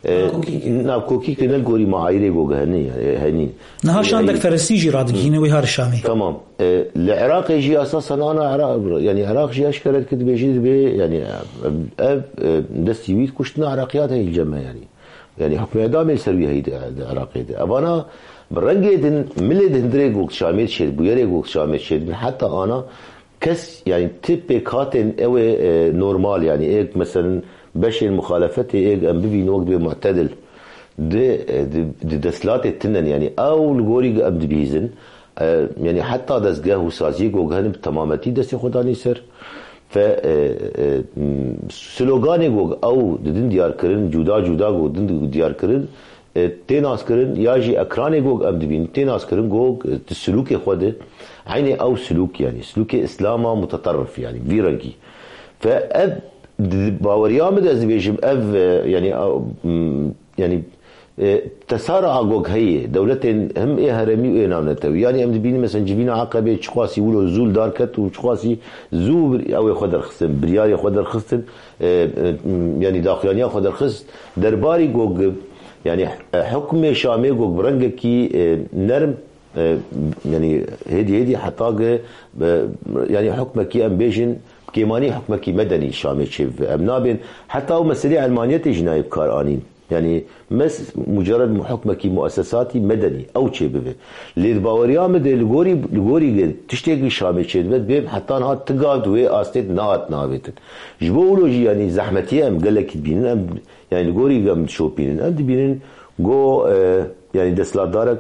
e, nakokî, nakokî ki ne li gorî maayîrê ku henî, yanî henî. Niha şandek ferestî jî radigihîne wê har Şamê. Tamam. E, li Iraqê jî esasen ana Iraq, yanî Iraq jî eşkere dike dibêjî dibê, yanî ev, ev, e, destî wî di kuştina Iraqiya de hîl cem e, yanî. Yanî hukmê edamê li ser wî heyî di, di Iraqê de. Evana bi rengê din, milê di hundirê gok Şamê dişêt, bûyerê gok Şamê dişêt, heta ana kes, yanî ti pêkhatên ew ê, e, normal, yanî êk, meselen, beşên muxalefetê êk em bibînin wek dibê mu'tedil, di, e, di, di desthilatê tinen, yanî ew li gorî em dibihîzin, e, yanî heta dezgeh û saziyê ku hene bi temametî destê xwe danî ser. Fe, e, e, m, sloganê ku ew didin diyar kirin, cuda cuda ku din diyar kirin, e, tê naskirin, ya jî ekranê ku em dibînin, tê naskirin ku, e, di silûkê xwe de, eynê ew silûk, yanî silûkê Îslama muteterrif, yanî vî rengî. Fe ev, di baweriya min de ez dibêjim, ev, e, yanî, ew, m, yanî, e, tesara a gog heye, dewletên hem ê heremî û ê navnetewî. Yanî em dibînin, mesela, civîna Eqebê çiqasî wilo zû li dar ket û çiqasî zû bir-, ew ê xwe derxistin, biryarê xwe derxistin, e, e, yanî daxuyaniya xwe derxist. Derbarî gog, yanî, e, hukmê Şamê gog bi rengekî, e, nerm, e, yanî hêdî hêdî heta ge, e, yanî hukmekî em bêjin, kêmanî hukmekî medenî Şamê çêbibe. Em nabên heta ew meselê elmaniyetê jî nayê bi kar anîn. Yanî mes mucerred hukmekî muessesatî medenî ew çêbibe. Lê di baweriya min de li gorî, li gorî ge tiştekî Şamê çêdibe, dibê heta niha ti gav di wê astê de nehat navêtin. Ji bo wilo jî yanî zehmetiyê em gelekî dibînin, em yanî li gorî em dişopînin, em dibînin go, e, yanî desthilatdarek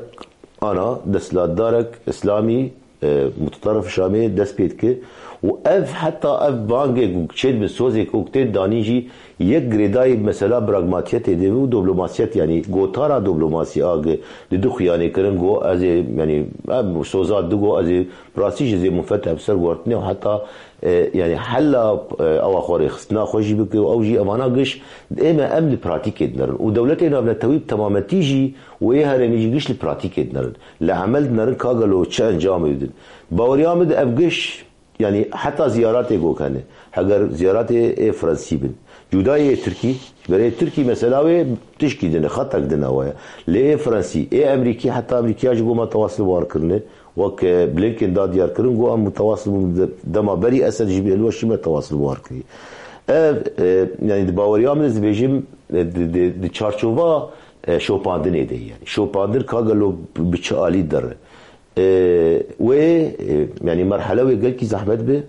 ana, desthilatdarek îslamî, e, mutaterif Şamê dest pê dike û ev heta ev bangê ku çêdibe sozê ku tê danîn jî yek girêdayî mesela pragmatiyetê de û diplomasiyet, yanî gotara diplomasî a ge di du xuyanê kirin go ez ê, yanî ev soza di go ez ê bi rastî jî zê munfet ev ser guhertinê û heta, e, yanî hela, e, ewa xwe rêxistina xwe jî bike û ew jî evana giş ê me em di pratîkê dinerin û dewletê navnetewî bi temametî jî û ê herêmî jî giş li pratîkê dinerin. Li emel dinerin ka gelo çi encamê didin. Baweriya min di ev giş, yanî heta ziyaratê gok hene. Heger ziyaratê ê Fransî bin. Cudayê ê Tirkî, berê Tirkî mesela wê tişkî dine, xetek dine waya. Lê ê Fransî, ê Emerîkî, heta Emerîkiya jî goma tewas li war kirine. Wek, e, Blinken da diyar kirin, got em tewas li de-, dema berî Esed jî bî, li we şî me tewas li war kirî. Ev, e, yanî di baweriya min ez dibêjim, e, di, di, di çarçova, e, şopandinê de, yanî şopandin ka gelo bi çi alî dere. E, wê, e, yanî merhele wê gelkî zehmet bi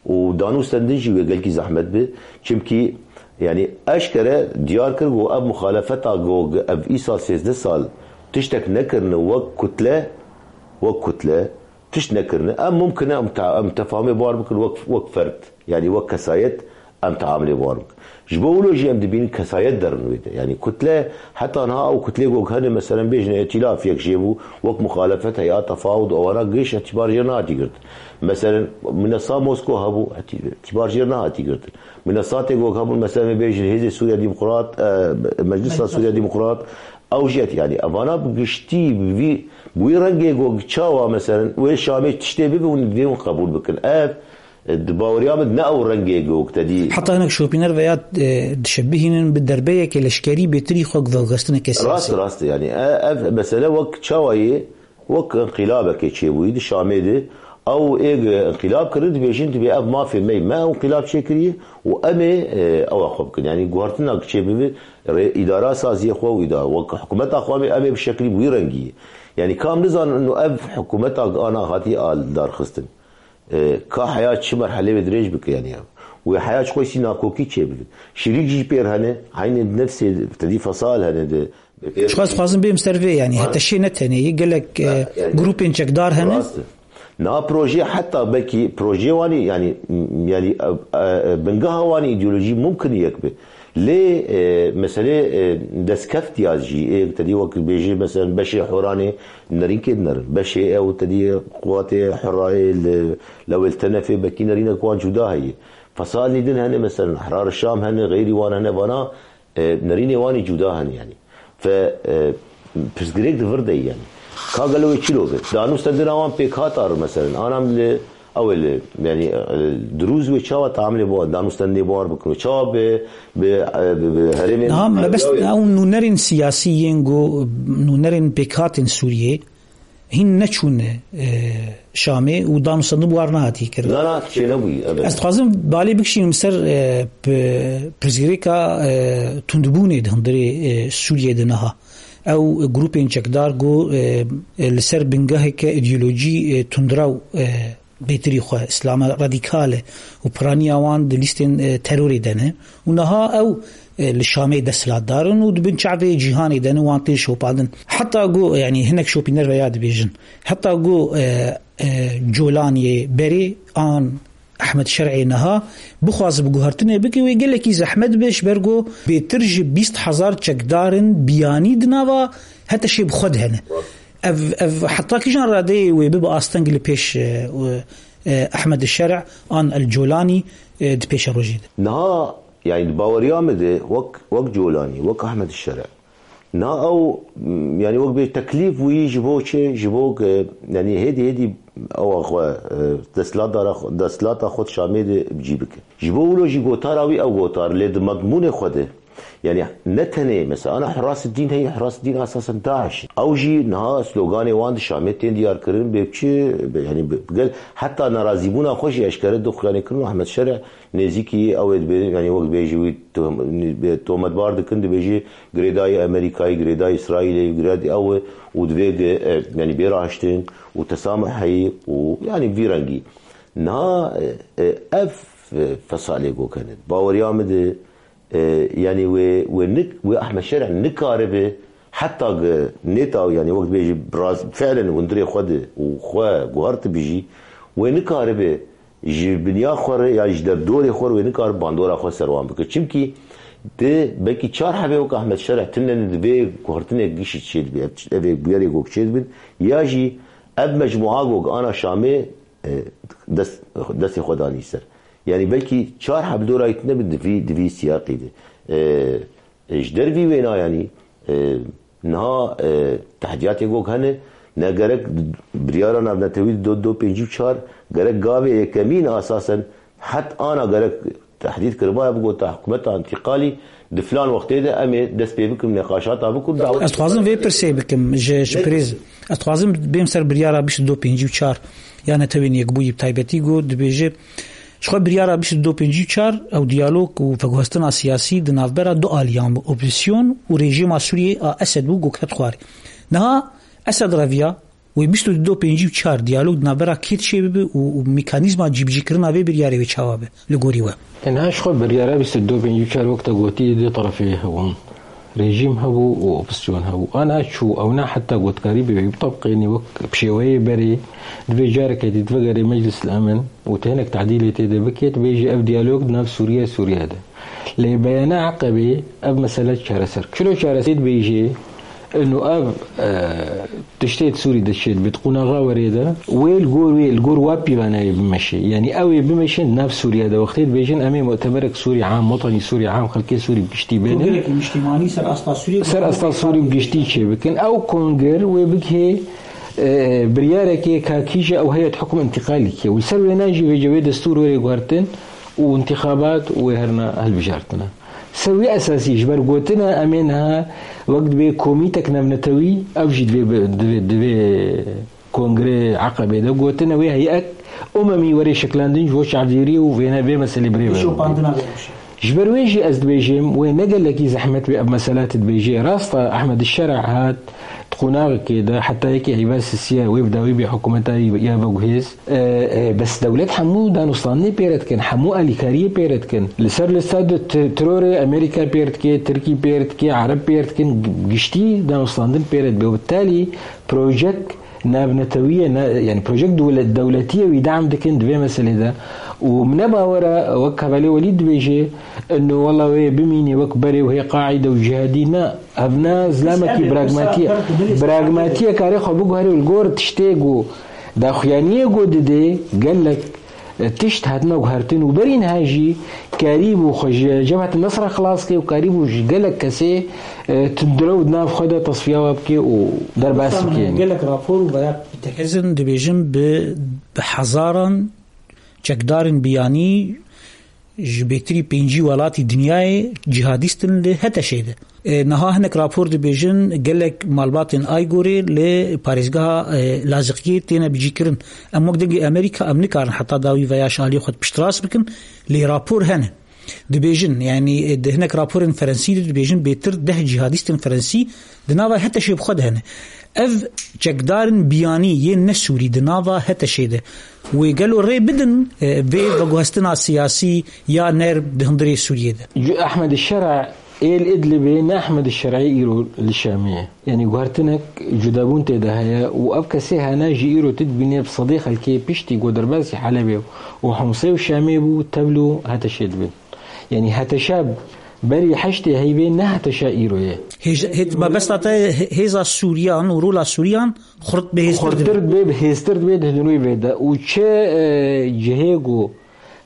û danûstendin jî wê gelkî zehmet bi. Çimkî, yanî eşkere diyar kir ku ev muxalefeta ku ev îsal sêzdeh sal tiştek nekirine wek kutle, wek kutle tişt nekirine. Em mumkin e em te-, em tefahumê bar bikin wek, wek ferd, yanî wek kesayet. Em teamilê wan bikin. Ji bo wilo jî em dibînin kesayet derin wê de. Yanî kutle, heta niha ew kutlê ku hene, meselen bêjin îtîlaf yek jê bû, wek muxalefet, heyat tefawud, ewana giş îtîbar jê nehatî girtin. Meselen, minesa Mosko hebû, îtî-, îtîbar jê nehatî girtin. Minesatê ku hebûn, meselen bêjin Hêzê Sûriya Demokrat, e, Meclisa Sûriya Demokrat, ew jî, yanî evana bi giştî, bi vî, bi wî rengê ku çawa, meselen, wê Şamê tiştê bibe hûn divê hûn qebûl bikin. Ev, Di baweriya min ne ew rengê gok te dî. Heta hinek şopîner veya, e, dişebihînin bi derbeyeke leşkerî bêtirî xwe veguhestineke siyasî. Rast, rast, yanî, e, ev mesele wek çawa ye, wek inqilabekê çêbûyî di Şamê de, ew ê ge inqilab kirin, dibêjin, dibê ev mafê me ye, me ew inqilab çêkiriye û em ê, e, ewa xwe bikin. Yanî, guhertina çêbibe, rê-, îdara saziyê xwe û îda-, wek hikûmeta xwe em ê, em ê bi şeklî bi wî rengî ye. Yanî, ka em nizanin û ev hikûmeta ana hatiye a darxistin. E, ka heya çi merhelê wê dirêj bike, yanî ya. Wê heya çi xweşî nakokî çêbikin. Şirîk jî pêr hene, eynê nefsê tedî fesal hene de. Ji xwe ez dixwazim bêm ser vê, yanî heta şê ne tenê yê, gelek, e, grûpên çekdar hene. Rast e. Niha proje heta belkî projeyê wanî, yanî, m-, yanî, e, e, bingeha wanî îdeolojî mumkin yek be. Lê, e, meselê, e, destkeft ya jî, ê te dî wek bêjî, mesela beşê Horanê nerînkê dinerin. Beşê ew te dî quwatê Hurayê li, lewê li Tenefê bekî nerînek wan cuda heye. Fesalî din hene, mesela Ehrar Şam hene, xeyrî wan hene, vana, e, nerînê wanî cuda hene yanî. Fe, e, pirsgirêk di vir de ye yanî. Ka gelo wê çilo be? Danûstendina wan pêk hat ar, mesela. Anam li Ew ê li, yanî, e, dirûz wê çawa teamilê bo, danûstendê bo war bikin û çawa bi, bi, e, bi, bi herêmên Niha mebest ew nûnerên siyasî yên ku nûnerên pêkhatên Sûriyê hîn neçûne, e, Şamê û danûstendin bi war nehatî kirin. Na, na, çê nebûyî, evet. Ez dixwazim balê bikişînim ser, e, pi-, pirsgirêka, e, tundbûnê di hundirê, e, Sûriyê de niha. Ew grûpên çekdar ku, e, e, li ser bingeheke îdeolojî, e, tundrew, e, bêtirî xwe, îslama radîkal e û piraniya wan di lîstên, e, terorê de ne. Û niha ew, e, li Şamê desthilatdar in û di bin çavê cîhanê de ne, wan tên şopandin. Heta ku, yanî hinek şopîner veya dibêjin, heta ku, e, e, Colaniyê berê an Ehmed Şer'ê niha bixwaze bi guhertinê bike, wê gelekî zehmet be, ji ber ku bêtir ji bîst hezar çekdar in biyanî di nava HTŞ'ê bi xwe de hene. Ev, ev heta kîjan radeyê wê bibe asteng li pêş, e, e, Ehmed Şer' an El Colanî, e, di pêşerojê de? Niha, yani, di baweriya min de wek, wek Colanî, wek Ehmed Şer', niha ew, m, yani, wek bê teklîf bûyî ji bo çi? Ji bo ku, yani, hêdî hêdî ewa xwe, e, desthilata xwe, desthilata xwe di Şamê de bi cî bike. Ji bo wilo jî gotara wî ew gotar, lê di medmûnê xwe de Yani ne tenê mesela ana Hurasıddin heye, Hurasıddin asasen DAIŞ. Ew jî niha sloganê wan di Şamê tên diyar kirin, bê çi, bê, yani bi, bi gel, heta nerazîbûna xwe jî eşkere dixuyanê kirin û Ehmed Şere nêzîkî ew ê dibê, yani wek dibêjî wî tom-, bê tometbar dikin, dibêjî girêdayî Amerîkayê, girêdayî Îsraîlê, girêdayî ew û divê ge, e, yani bê raştin û tesameh heyî û yani vî rengî. Niha, e, e, ev, e, fesalê gokene. Baweriya min de, E, yani wê, wê nik-, wê Ehmed Şerî nikaribe heta ge nêta, yani wek bêjî biraz fiilen hundirê xwe de û xwe guhert bijî, wê nikaribe ji binya xwe re ya ji derdorê xwe re wê nikaribe bandora xwe ser wan bike. Çimkî di belkî çar hebê wek Ehmed Şerî tune ne di vê guhertinê gişî çêdibe, ev, ev ê bûyerê gok çêdibin, ya jî ev mecmua gok ana Şamê, e, dest, destê xwe danî ser. Yani belkî çar heb dorayî tune bi di vî, di vî siyaqî de. E, e, ji dervî wêna yani, e, niha, e, tehdiyatê gok hene, ne gerek biryara navnetewî do, do pêncî û çar, gerek gavê yekemîn asasen het ana gerek tehdît kiribaya bigota hikûmeta întîqalî di filan wextê de em ê dest pê bikin, neqaşata bikin, dawet. Ez dixwazim vê pirsê bikim ji, ji Pirêz. Ez dixwazim bêm ser biryara bîst û du pêncî û çar ya Netewên Yekbûyî bi taybetî ku dibêje, ji xwe biryara bîst û du pêncî û çar ew diyalog û veguhestina siyasî di navbera du aliyan bi, opozisyon û rejîma Sûriyê a Esed bû, ku ket xwarê. Niha Esed reviya, wê bîst û du pêncî û çar diyalog di navbera kê dişê bibe û, û mekanîzma cîbicîkirina vê biryarê wê çawa be li gorî we? Niha ji xwe biryara bîst û du pêncî û çar wek te gotî du terefê hebûn. Rejîm hebû û opozisyon hebû. Ana çû ewna heta gotkarî bê wî bitebqênî wek bi şêweyê berê, divê careke dî vegerê Meclis el Emin û te hinek tadîlê tê de bikê, dibêjî ev diyalog di nav Sûriye, Sûriye de. Lê beyana Eqebê ev mesele çareser. Çilo çareser dibêjê, inu ev, e, tiştê di Sûrî de çêdibê, di qunaxa werê de, wê li gor wê, li gor wa pîvanayê bimeşê. Yani ew ê bimeşin nav Sûriye de. Wextê dibêjin em ê mutemerek Sûrî am, wetanî Sûrî am, xelkê Sûrî bi giştî bênin. Kongreke niştimanî ser asta Sûrî. Ser asta Sûrî bi giştî çêbikin. Ew konger wê bigihê, e, biryarekê ka kîje ew heyet hukm întîqalî ke. Û li ser wêna jî vêce wê destûr wêrê guhertin û întîxabat wê herna hilbijartine. Ser wî esasî ji ber gotina em ê niha wek dibê komîtek navnetewî, ew jî divê bi-, divê, divê Kongrê Eqebê de gotine wê heyet umemî were şeklandin ji bo çavdêrî û vêne vê meselê birê ve. Şopandina vê rewşê. Ji ber wê jî ez dibêjim, wê ne gelekî zehmet wê ev mesele te dibêjê. Rast e, Ehmed Şer'a hat di qonaxekê de, heta yekê Eyba sisiye wê bi dawî bê hikûmeta ya veguhêz. E, e, bes dewlet hemû danûstandinê pê re dikin, hemû alîkariyê pê re dikin. Li ser lista de t-, terorê Amerîka pê re dike, Tirkî pê re dike, Ereb pê re dikin, gi-, giştî danûstandin pê re dibe. Bi talî projek navnetewî ye, ne, yani projek dewlet, dewletî ye, wî dam dikin di vê meselê de. Û min ne bawer e, wek Hevalê Welîd dibêje, ino wela wê bimînê wek berê wê Qaîde û cihadî, ne, ev ne zilamekî pragmatî ye. Pragmatiyê karê xwe biguherê û li gor tiştê ku daxuyaniyê ku didê gelek, e, tişt hatine guhertin û berî niha jî karîbû xwe ji Cebhet Nesra xilas ke û karîbû ji gelek kesê, e, tundrew di nav xwe de tesfiya we bike û derbas bike. Gelek rapor û veya Hêzên dibêjin bi, bi hezaran çekdarên biyanî ji bêtirî pêncî welatî dinyayê cîhadîst in li HTŞ'ê de. E, niha hinek rapor dibêjin gelek malbatên Aygorê li parêzgeha, e, Laziqiyê têne bicîkirin. Em wek dengê Amerîka em nikarin heta dawî veya ji aliyê xwe piştrast bikin, lê rapor hene. Dibêjin, yani, e, di hinek raporên Ferensî de dibêjin bêtir deh cîhadîstên Ferensî di nava HTŞ'ê bi xwe de hene. Ev çekdarên biyanî yên ne Sûrî di nava HTŞ'ê de. Wê gelo rê bidin, e, vê veguhestina siyasî ya nerm di hundirê Sûriyê de? Ju Ehmed Şer'a ê li Idlibê ne Ehmed Şer'ê îro li Şamê ye. Yani guhertinek cudabûn tê de heye û ev kesê hene jî îro tu dibînê bi sedê xelkê piştî ku derbasî Helebê û Homsê û Şamê bû, tevlû HTŞ'ê dibin. Yani HTŞ'a berî heştê heyvê ne HTŞ'a îro ye. Hêj-, hêt-, mebesta te hê-, hêza Sûriyan û rola Sûriyan xurt bihêztir dibe. Xurtir dibe, bihêztir dibe di hundirê vê de. Û çi, e, cihê ku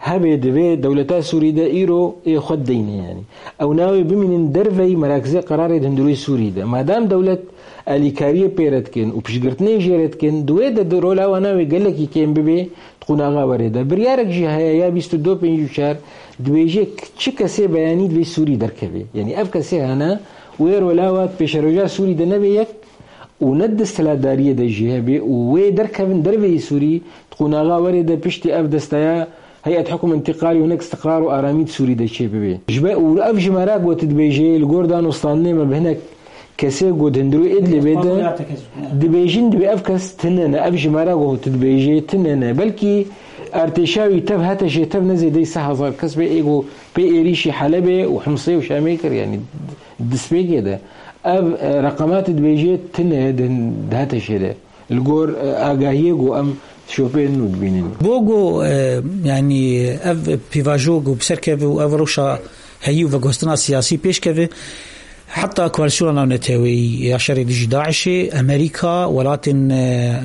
hebe di vê dewleta Sûrî de îro ê xwe deyne, yanî ew navê bimînin derveyî merakizê qerarê di hundirûyê Sûrî de. Madem dewlet alîkariyê pê re dikin û piştgirtinê jê re dikin, di wê de di rola wan navê gelekî kêm bibe di qonaxa werê de. Biryarek jî heye ya bîst û du pêncî û çar dibêje k-, çi kesê beyanî divê Sûrî derkeve. Yanî ev kesê hene wê rola wa di pêşeroja Sûrî de nebe yek û ne di desthilatdariyê de jî hebe û wê derkevin derveyî Sûrî di qonaxa werê de piştî ev desteya Heyet Hukm Întiqalî û hinek îstiqrar û aramî di Sûrî de çêbibe. Ji ber û ev jimara ku tu dibêjê li gor danûstandinê me bi hinek kesê ku di hundirû Idlibê de dixwazin ya tekez. Dibêjin dibê ev kes tune ne, ev jimara ku tu dibêjê tune ne. Belkî artêşa wî tev hete jê tev ne zêdeyî sê hezar kes be ê ku pê êrîşî Helebê û Himsê û Şamê kir, yanî destpêkê de. Ev, e, reqemat dibêjê tune di, di hete jê de. Li gor, e, agahiyê ku em şopên nû dibînin. Bo ku, e, yanî ev pîvajo ku bi ser keve û ev rewşa heyî û veguhestina siyasî pêş keve, heta Koalîsyona Navneteweyî ya şerê dijî DAIŞê, Amerîka, welatên, e,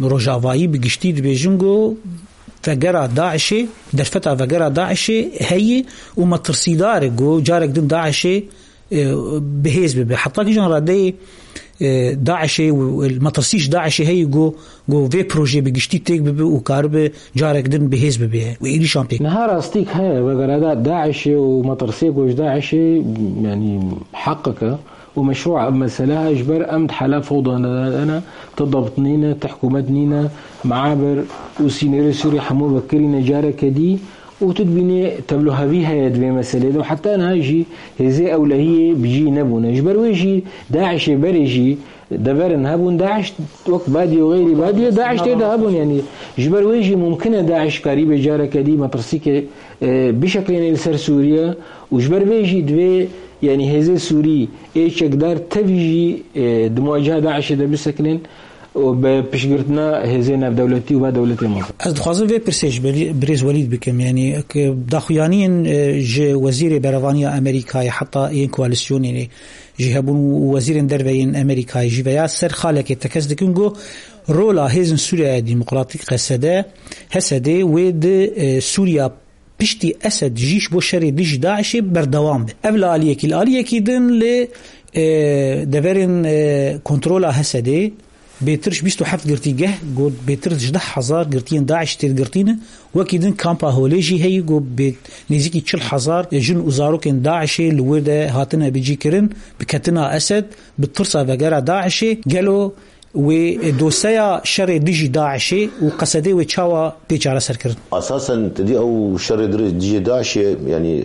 rojavayî bi giştî dibêjin ku vegera DAIŞê, derfeta vegera DAIŞê heyî û metirsîdar e ku carek din DAIŞê e, bihêz bibe. Heta kîjan radeyê, e, DAIŞê û metirsî ji DAIŞê heyî ku, ku vê projeyê bi giştî têk bibe û karibe carek din bihêz bibe û êrîşan pê. Niha rastîk heye, vegera DAIŞê û metirsê ku ji DAIŞê, yanî heqek e û meşrû e, ev mesele ji ber em di hala fewda de ne, tu debt nîne, tu hikûmet nîne, meabir û sînorê Sûrî hemû vekirîne careke dî. Û tu dibînî tevlihevî heye di vê meselê de û heta niha jî hêzê ewlehiyê bi cî nebûne. Ji ber wê jî DAIŞê berê jî deverin hebûn. DAIŞ wek Badiyê û xeyrî Badiyê, DAIŞ tê de hebûn. Yanî ji ber wê jî mumkin e DAIŞ karîbe careke dî metirsîkê, e, bişeklêne li ser Sûriye û ji ber vê jî divê, yanî hêzê Sûrî ê çekdar tevî jî, e, di muwaceha DAIŞê de bisekinin. û bi piştgirtina hêzên navdewletî û va dewletê mezin. Ez dixwazim vê pirsê ji birî-, birêz Welîd bikim. Yanî, k-, daxuyaniyên, e, ji Wezîrê Berevaniya Amerîkayê heta yên koalîsyonê jî hebûn û wezîrên derve yên Amerîkayê jî veya ser xalekê tekez dikin ku rola Hêzên Sûriya Demokratîk, Q S D, H S D wê di, e, Sûriya piştî Esed jî ji bo şerê dijî DAIŞê berdewam be. Ev li aliyekî, li aliyekî din li, e, deverên, e, kontrola H S D'ê bêtir ji bîst û heft girtîgeh, got bêtir ji deh hezar girtiyên DAIŞ têdigirtî ne. Wekî din kampa Holê jî heyî, got bê nêzîkî çil hezar jin û zarokên DAIŞê li wir de hatine bicîkirin, bi ketina Esed, bi tirsa vegera DAIŞê. Gelo wê doseya şerê dijî DAIŞê û Q S D'ê wê çawa bê çareserkirin? Esasen, te dî ew şerê dirê dijî DAIŞê, yanî,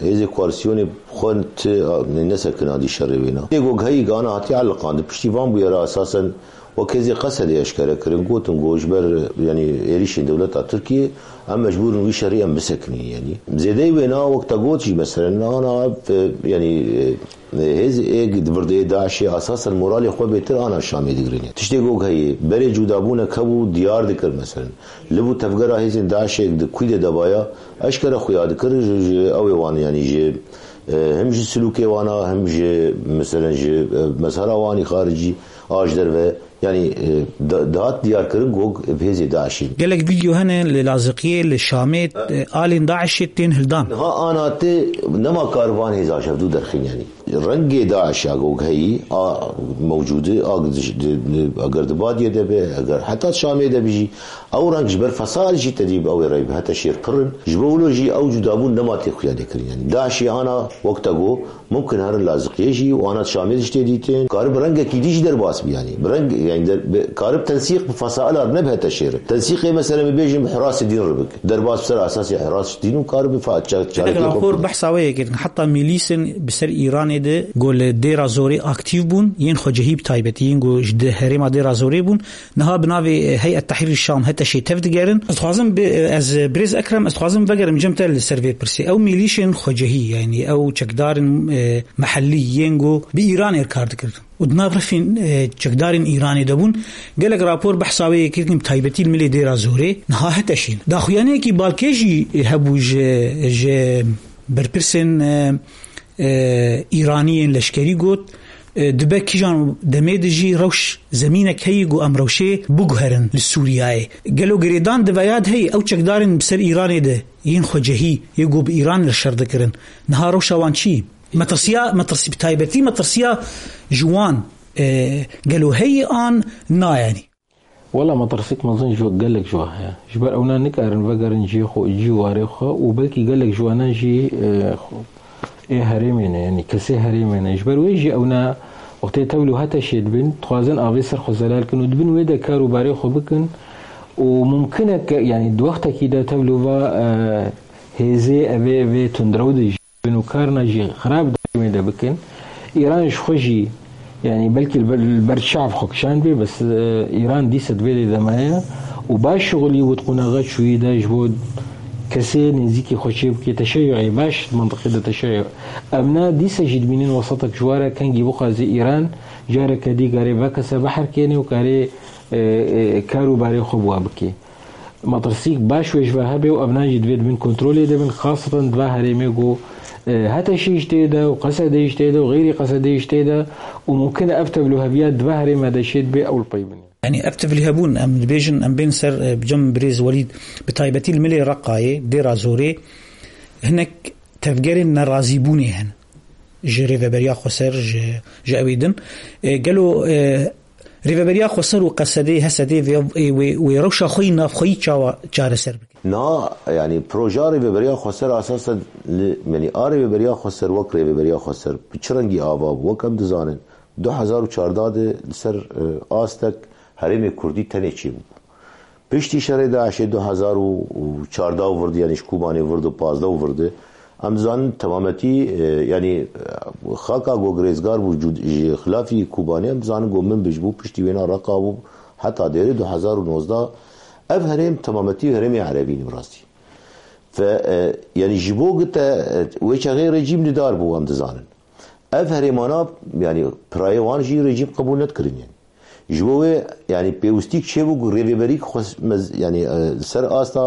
e, hêzê koalîsyonê xwe ti, a, ne-, nesekina dî şerê wê na. Tê ku heyî gana hatiye eliqandin. Piştî van bûyera esasen wek hêzê Q S D'ê eşkere kirin, gotin ku ji ber, yanî, êrîşên dewleta Tirkiyê em mecbûr in wî şerî em bisekinîn, yanî. Zêdeyî wê na wek te got jî, meselen, ana, e, yanî, e, Hêz êk di virdeyê DAIŞê esasen moralê xwe bêtir ana Şamê digirin. Tiştê ku heye, berê cûdabûnek hebû diyar dikir, meselen. Li bû tevgera hêzên DAIŞê di kûy de dabaya, eşkere xuya dikir ji, ji ew ê wan, yanî ji, e, him ji silûkê wana, him ji, meselen, ji, e, mezhera wanî xaricî, a ji derve. Yanî, e, da-, dihat diyarkirin ku bi hêzê DAIŞê. Gelek vîdeo hene li Laziqiyê, li Şamê, e, alên DAIŞê tên hildan. Niha ana tê nema kariban hêza ji hevdû derxîn, yanî. Rengê DAIŞ ya ku heyî, a mewcûdî, a di, di, di, eger di Badiyê de be, eger heta Şamê de be jî, ew reng ji ber fesail jî tedî bi ew ê rey bi hete şêr pir in. Ji bo wilo jî ew cudabûn nema tê xuya lêkirin. Yanî DAIŞê ana wek te got, mumkin herin Laziqiyê jî û ana Şamê jî tê dîtin. Karib rengekî dî jî derbas bi, yanî. Bi reng, yanî der-, bi, karib tensîq bi fesaila re ne bi hete şêr. Tensîqê mesela em bêjin bi hirasê dîn re bik. Derbas bi ser esasê hiras dîn û karib bi fa-, ça-, Gelek çarekê xwe rapor bike. Behsa wê yê kirin. Heta milîsên bi ser Îranê de ku li Dêra Zorê aktîf bûn, yên xwecihî bi taybetî, yên ku ji di herêma Dêra Zorê bûn, niha bi navê, e, Heyet Tehrîr Şam, HTŞê tev digerin. Ez dixwazim bi, e, ez, e, birêz Ekrem, ez dixwazim vegerim cem te li ser vê pirsê. Ew milîşên xwecihî, yanî ew çekdarên, e, mehellî yên ku bi Îranê re kar dikir û di nav refên, e, çekdarên Îranê de bûn, gelek rapor behsa wê yê kirin, bi taybetî li milê Dêra Zorê, niha HTŞê ne. Daxuyaniyekî balkê jî hebû ji, ji berpirsên, e, e, Îraniyên leşkerî got, E, dibe kîjan demê de jî rewş zemînek heye ku em rewşê biguherin li Sûriyeyê. Gelo girêdan di veyad heye ew çekdarên bi ser Îranê de yên xwecehî yê ku bi Îran re şer dikirin. Niha rewşa wan çi? Metirsiya, metirsi-, bi taybetî metirsiya ji wan, e, gelo heye an na yanî? Wela metirsîk mezin ji gelek ji we heye. Ji ber ewna nikarin vegerin cihê xwe, cî û warê xwe û belkî gelek ji wana jî, e, xwe, ê herêmê ne, yanî kesê herêmê ne. Ji ber wê jî ewna wextê tevlû hete şê dibin, dixwazin avê ser xwe zelal kin û dibin wê de kar û barê xwe bikin û mumkin e ke, yanî di wextekî de tevlû va, e, hêzê evê, evê tundrew de jî bin û karina jî xirab di herêmê de bikin. Îran ji xwe jî, yanî belkî li ber, li ber çav xwe kişand bê, bes, e, Îran dîsa di vê dê de maye û baş şixulî wit qunaxa çûyî de ji bo kesê nêzîkî xwe çê bike teşeyyuê baş di mentiqê de teşeyyuê. Em na dîsa jî dimînin wesetek ji ware kengî bixwaze Îran careke dî karê vekese beherkêne û karê, e, e, kar û barê xwe bi wa bike. Metirsîk baş wê ji ve hebe û evnan jî divê di bin kontrolê de bin, xaseten di va herêmê ku, e, HTŞ jî tê de û QSD jî tê de û xeyrî QSD jî tê de û mumkin e ev tevlûheviya di va herême de şêt bê ew li pey bin. Yanî ev tevlîhebûn, em dibêjin, em bên ser, e, bi cem birêz Welîd, bi taybetî li milê Reqayê, Dêra Zorê, hinek tevgerên nerazîbûnê hene. Ji Rêveberiya Xweser, ji, ji ewê din. E, gelo, e, Rêveberiya Xweser û QSD'ê, HSD'ê vê, ê, wê, wê rewşa xwe yî navxweyî çawa çareser bike? Niha, yanî projeya Rêveberiya Xweser esasen li, yanî a Rêveberiya Xweser wek Rêveberiya Xweser bi çi rengî ava bû? Wek em dizanin, du hezar û çardeh de li ser, e, astek herêmê Kurdî tenê çêbû. Piştî şerê DAIŞê du hezar û çardeh û vir de, yanî ji Kobanê vir de, pazdeh û vir de, em dizanin temametî, e, yanî, e, xaka ku girêzgar bû cud-, ji xilafî Kobanê, em dizanin ku Minbij bû, piştî wêna Reqa bû, heta dêrê du hezar û nozdeh. Ev herêm temametî herêmê erebî ne bi rastî. Ve, e, yanî ji bo ku te, e, wê çaxê rejîm li dar bû, em dizanin. Ev herêmana, yanî pirayê wan jî rejîm qebûl nedikirin, yanî. Ji bo wê, yanî pêwistîk çêbû ku rêveberîk xwe mez-, yanî, e, ser asta,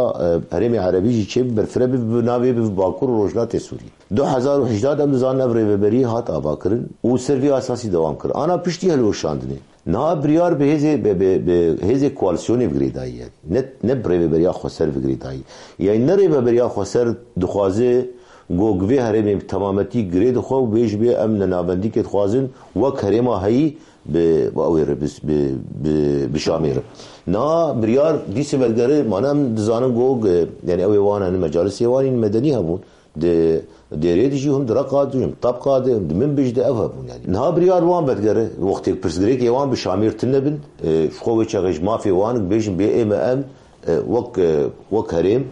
e, herêmê erebî jî çêbû, berfireh bi, bi navê bi Bakur û Rojhilatê Sûriyê. Du hezar û hejdeh de em dizanin ev rêveberî hat avakirin û ser vî asasî dewam kir. Ana piştî hilweşandinê. Niha biryar bi hêzê, bi, bi, bi hêzê koalîsyonê bi girêdayî ye. Ne, ne bi rêveberiya xweser bi girêdayî. Yanî ne rêveberiya xweser dixwaze ku vê herêmê bi temametî girê dixwe û bêjibê em nenavendîkê dixwazin wek herêma heyî bi, bi ew ê re, bi, bi, bi, bi Şamê re. Niha biryar dîsê vedigere, mane em dizanin ku, e, yanî ew ê wan hene, mecalisê wan yên medenî hebûn. Di dêrê de jî hûn di Reqa de, hûn di Tebqa de, hûn di Minbij de ev hebûn yanî. Niha biryar wan vedigere, wextê pirsgirêkê wan bi Şamêr tune bin, e, ji xwe wê çaxê ji mafê wan bêjin bê ê me em, e, wek, e, wek herêm,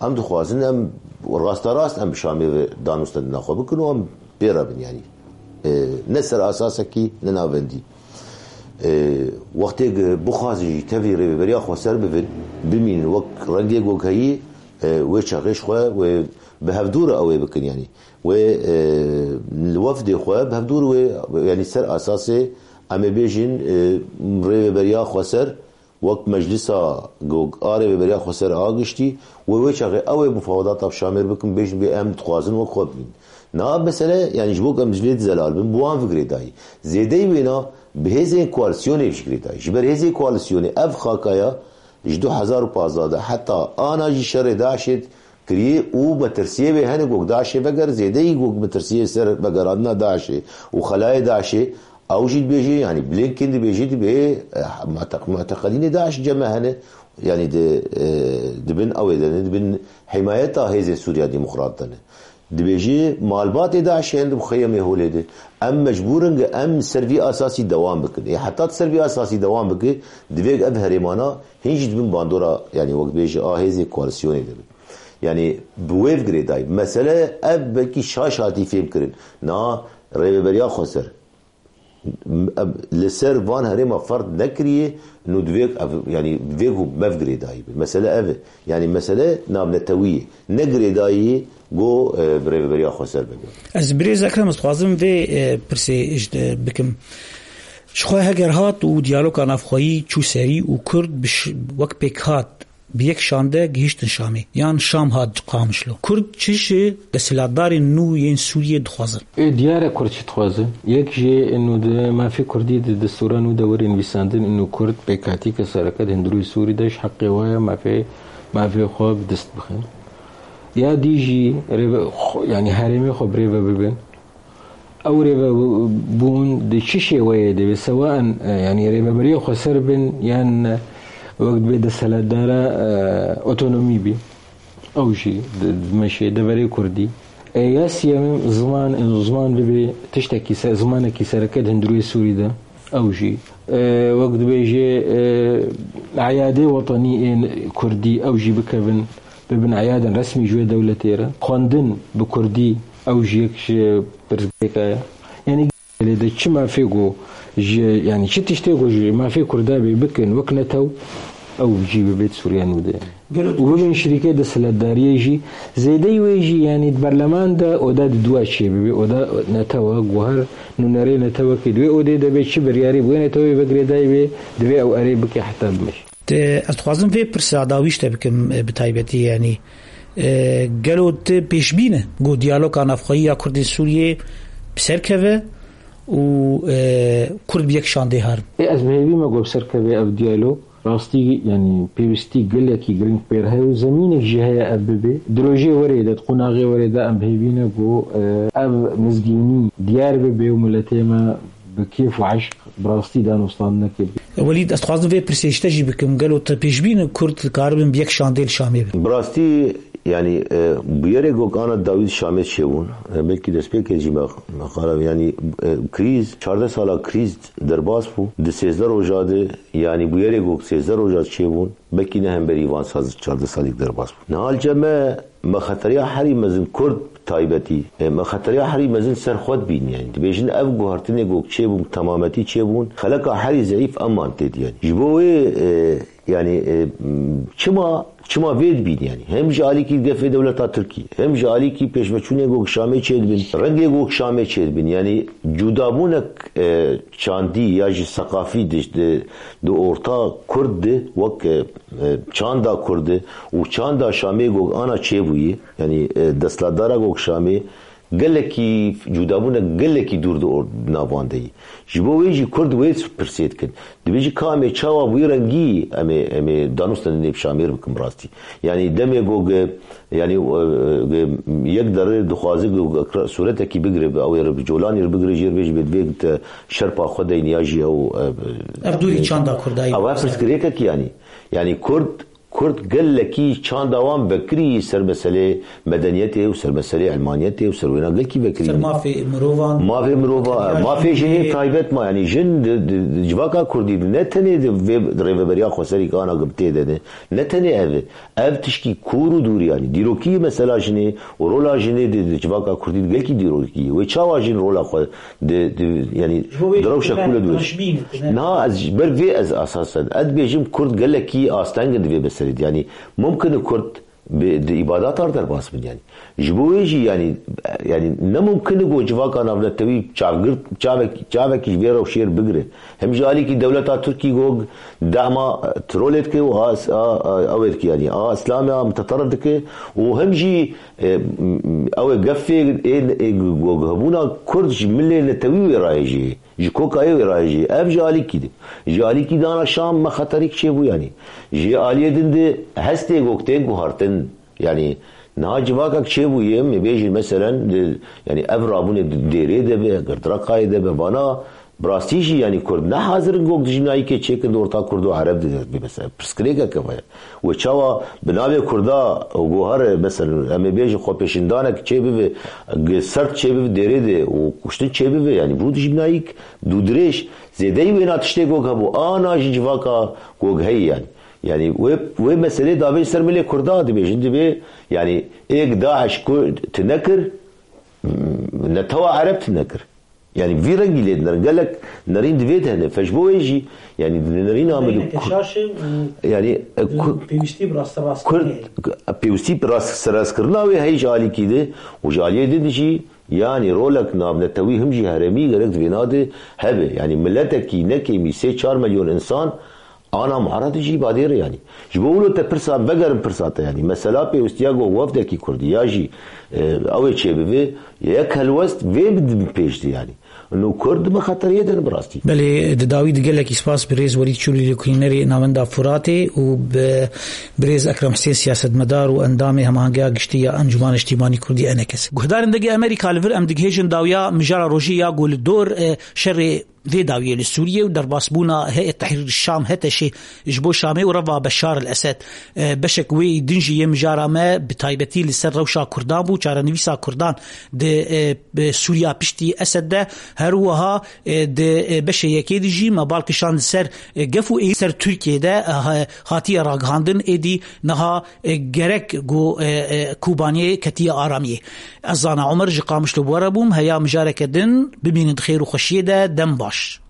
em dixwazin em rasterast em bi Şamê ve danûstendina xwe bikin û em pê re bin yanî. E, ne ser asasekî ne navendî. E, wextê ku bixwazin jî tevî rêveberiya xweser bibin, bimînin wek rengê ku heyî, e, wê çaxê ji xwe wê bi hevdû re ew ê bikin, yanî wê, e, li wefdê xwe bi hevdû re wê, yanî ser asasê em ê bêjin, e, rêveberiya xweser wek meclisa gog a rêveberiya xweser a giştî wê wê çaxê ew ê mufawedata bi Şamêr bikin, bêjin bê em dixwazin wek xwe bimîn. Niha mesele, yanî ji bo ku em ji vê dizelal bin, bi wan ve girêdayî. Zêdeyî wêna bi hêzên koalîsyonê ve girêdayî. Ji ber hêzên koalîsyonê ev xakaya ji du hezar û pazdeh de heta ana jî şerê DAIŞê kirî û metirsiyê wê hene ku DAIŞê veger, zêdeyî ku metirsiyê ser vegerandina DAIŞê û xelayê DAIŞê, ew jî dibêje, yanî Blinken dibêje, dibê, eh, muteq-, muteqedînê DAIŞ cem me hene, yanî di, eh, di bin ew ê de ne, di bin himayeta hêzên Sûriya Demokrat de ne. Dibêje, malbatê DAIŞê hene di muxeyemê holê de. Em mecbûr in ku em ser vî asasî dewam bikin. Ê heta tu ser vî asasî dewam bike, divê ev herêmana hîn jî di bin bandora, yanî wek bêje a hêzê koalîsyonê de bin. Yanî bi wê ve girêdayî. Mesele ev belkî şaş hatî fêhm kirin. Na rêveberiya xweser. Em li ser van herêma ferd nekiriye, nû divê ev, yanî divê ku me ve girêdayî be. Mesele ev e. Yanî mesele navnetewî ye. Ne girêdayî ku, e, bi rêveberiya xweser bibe. Ez birêz Ekrem, ez dixwazim vê, e, pirsê ji te bikim. Ji xwe heger hat û diyaloga navxweyî çû serî û Kurd bi ş-, wek pêkhat Bi yek şande gihiştin Şamê, yan Şam hat Qamişlo. Kurd çi ji desthilatdarên nû yên Sûriyê dixwazin? Ê diyar e Kurd çi dixwazin. Yek jê nû di mafê Kurdî di destûra nû de were nivîsandin, nû Kurd pêkhatî ke sereke di hundirûyê Sûrî de ji heqê wa ye mafê, mafê xwe bi dest bixin. Ya dî jî rêve-, xwe, yanî herêmê xwe bi rê ve bibin. Ew rêvebûn di çi şêweyê de be, sewaen, e, yanî rêveberiya xweser bin yan, e, wek dibê desthilatdara, e, otonomî bî. Ew jî di, dimeşê deverê Kurdî. E, ya siyemîn ziman, ziman bibe tiştekî se-, zimanekî sereke di hundirê Sûrî de. Ew jî, e, wek dibêje, e, eyadê wetenî ên Kurdî ew jî bikevin, bibin eyadên resmî ji wê dewletê re. Xwendin bi Kurdî ew jî yek ji pirsgirêka ye. Yanî lê de çi mafê ku ji, yanî çi tiştê ku ji mafê Kurda bê bikin wek netew, ew jî bibêt Sûriya nû de. Gelo û bibin şirîkê desthilatdariyê jî, zêdeyî wê jî, yanî di berleman de oda di dua çê bibe, oda netewa, guher nûnerê netewekê di wê odê de be, çi biryarê bi wê netewê ve girêdayî be, divê ew erê bike heta bimeşe. Te, ez dixwazim vê pirsa dawî ji te bikim, e, bi taybetî, yanî, e, gelo tu pêşbîn e ku diyaloga navxweyî ya Kurdên Sûriyê bi ser keve û, e, Kurd bi yek şandê herin? Ê, ez bi hêvî me ku bi ser keve ev diyalog. Rastî, yanî pêwîstî gelekî giring pêr heye û zemînek jî heye ev bibe. Di rojê werê de, di qonaxê werê de em bi hêvî ne ku, e, ev mizgînî diyar bibe û miletê me bi kêf û eşq bi rastî danûstandinekê bibe. Welîd, ez dixwazim vê pirsê ji te jî bikim. Gelo tu pêşbîn e Kurd dikaribin bi yek şandê li Şamê bin? Bi rastî, yanî, e, bûyerê ku ana dawî di Şamê çêbûn, e, belkî destpêkê jî me, me qala, yanî, e, krîz, çardeh sala krîz derbas bû. Di sêzdeh roja de, yanî bûyerê ku sêzdeh roja çêbûn, belkî ne hemberî van sal, çardeh salî derbas bû. Niha li cem me, me xeteriya herî mezin Kurd bi taybetî, e, me xeteriya herî mezin ser xwe dibîn. Yanî dibêjin ev guhertinê ku çêbûn, temametî çêbûn, xeleka herî zeîf eman tê diyên. Ji bo wê, e, yanî, e, çima, çima vê dibîn yanî? Hem ji alîkî gefê dewleta Tirkî, hem ji alîkî pêşveçûnê ku Şamê çêdibin, rengê ku Şamê çêdibin. Yanî cudabûnek, e, çandî ya jî seqafî di, di, di orta Kurd de wek, e, e, çanda Kurd de û çanda Şamê ku ana çêbûyî, yanî, e, desthilatdara ku Şamê gelekî cudabûnek gelekî dûr di or-, navan de yî. Ji bo wê jî Kurd wê pirsê dikin. Dibêjî ka em ê çawa bi wî rengî em ê, em ê danûstandinê bi Şamê re bikin bi rastî. Yanî demê ku ge, yanî, e, ge, yek derê dixwaze ku ge sûretekî bigire, bi ew ê re bi colanî re bigire, jê re bêjî bê divê te şerpa xwe deyne ya jî ew, e, Ev dûrî çanda Kurdayî. Ew pirsgirêkek yanî. Yanî Kurd Kurd gelekî çanda wan vekirî ser meselê medeniyetê û ser meselê ilmaniyetê û ser wêna gelkî vekirî. Ser mafê mirovan. Mafê mirova, mafê jinê taybet ma, yanî jin di, di, di civaka Kurdî de ne tenê di vê rêveberiya xweserî ke ana gim tê de ne, ne tenê ev e. Ev tişkî kûr û dûr, yanî dîrokî mesela jinê û rola jinê di, di civaka Kurdî de gelkî dîrokî ye. Wê çawa jin rola xwe Di, di, yanî, Ji bo vê di rewşa tune kûle dûr. Tune şibîn, tune. Niha ez ji ber vê ez esasen, ez dibêjim Kurd gelekî asteng in di vê meselê de. Yanî, mumkin e Kurd bi, di îbadata re derbas bin, yanî. Ji bo wê jî, yanî, yanî, ne mumkin e ku civaka navnetewî çavgir-, çavek-, çavekî ji vê rewşê re bigire. Hem ji alîkî dewleta Tirkî ku dema trolê dike û a, a, a, ew ê dike, yanî, a Îslamê a mutaterif dike û hem jî E, m-, m-, ew ê gefê ê, ê gu-, gu-, hebûna Kurd ji milê netewî wê rayê jî, ji kokayê wê rayê jî. Ev ji alîkî de. Ji alîkî dana Şam me xeterîk çêbû yanî. Ji aliyê din de hestê gok tê guhartin. Yanî niha civakek çêbûye, me bêjin meselen, di, yanî ev rabûnê di Dêrê de be, Girdraqayê de be, vana Bi rastî jî, yanî Kurd ne hazir in gok dijminayîkê çêkin di orta Kurd û Ereb de, bê mesela pirsgirêkek ev heye. Wê çawa bi navê Kurda û gohere, mesela, em ê bêjin xwepêşindanek çê bibe, g-, sert çê bibe, Dêrê de û kuştin çê bibe, yanî bû dijminayîk dûdirêj, zêdeyî wêna tiştê gok hebû, ana jî civaka gok heye yanî. Yanî wê, wê meselê davêj ser milê Kurda dibêjin, dibê, yanî êk DAIŞ ku tune kir, netewa Ereb tune kir. Yanî vî rengî lê dinerin. Gelek nerîn di vê de hene. Fe ji bo wê jî, yanî di nerîna me de Nerîneke ku-, şaş e û yanî, e, di ku-, pêwîstî bi rasterast Kurd, pêwîstî bi rast-, serastkirina wê heye ji alîkî de û ji aliyê din jî, yanî rolek navnetewî him jî herêmî gerek di vêna de hebe. Yanî miletekî ne kêmî sê çar milyon însan Ana muharedê jî badêre yanî. Ji bo wilo te pirsa, vegerin pirsa te yanî. Mesela pêwîstiya ku wefdekî Kurdî ya jî, e, ew ê çêbivê, yek helwest vê bidin pêş de yanî. Û Kurd bi xeteriyê de ne bi rastî. Belê, di dawî de gelekî spas birêz Welîd Çûlî, lêkolînerê Navenda Furatê û bi birêz Ekrem Husên, siyasetmedar û endamê Hemahengeya Giştî ya Encûmana Niştîmanî Kurdî, ENKS. Guhdarên dengê Amerîka, li vir em digihêjin dawiya mijara rojê ya ku li dor, e, şerê vê dawiyê li Sûriyê û derbasbûna Heyet Tehrir Şam, HTŞ, ji bo Şamê û reva Beşar el Esed. E, beşek wê din jî yê mijara me bi taybetî li ser rewşa Kurdan bû, çarenivîsa Kurdan di, e, bi Sûriya piştî Esed de. Her wiha, e, di, e, beşê yekê de jî me bal kişand ser, e, gef û êrîş ser Tirkiyê de, e, ha-, hatiye ragihandin, êdî niha, e, gerek ku, e, e, Kobaniyê ketiye aramiyê. Ez Zana Omer ji Qamişlo bi we re bûm, heya mijareke din bimînin di xêr û xweşiyê de, dem baş.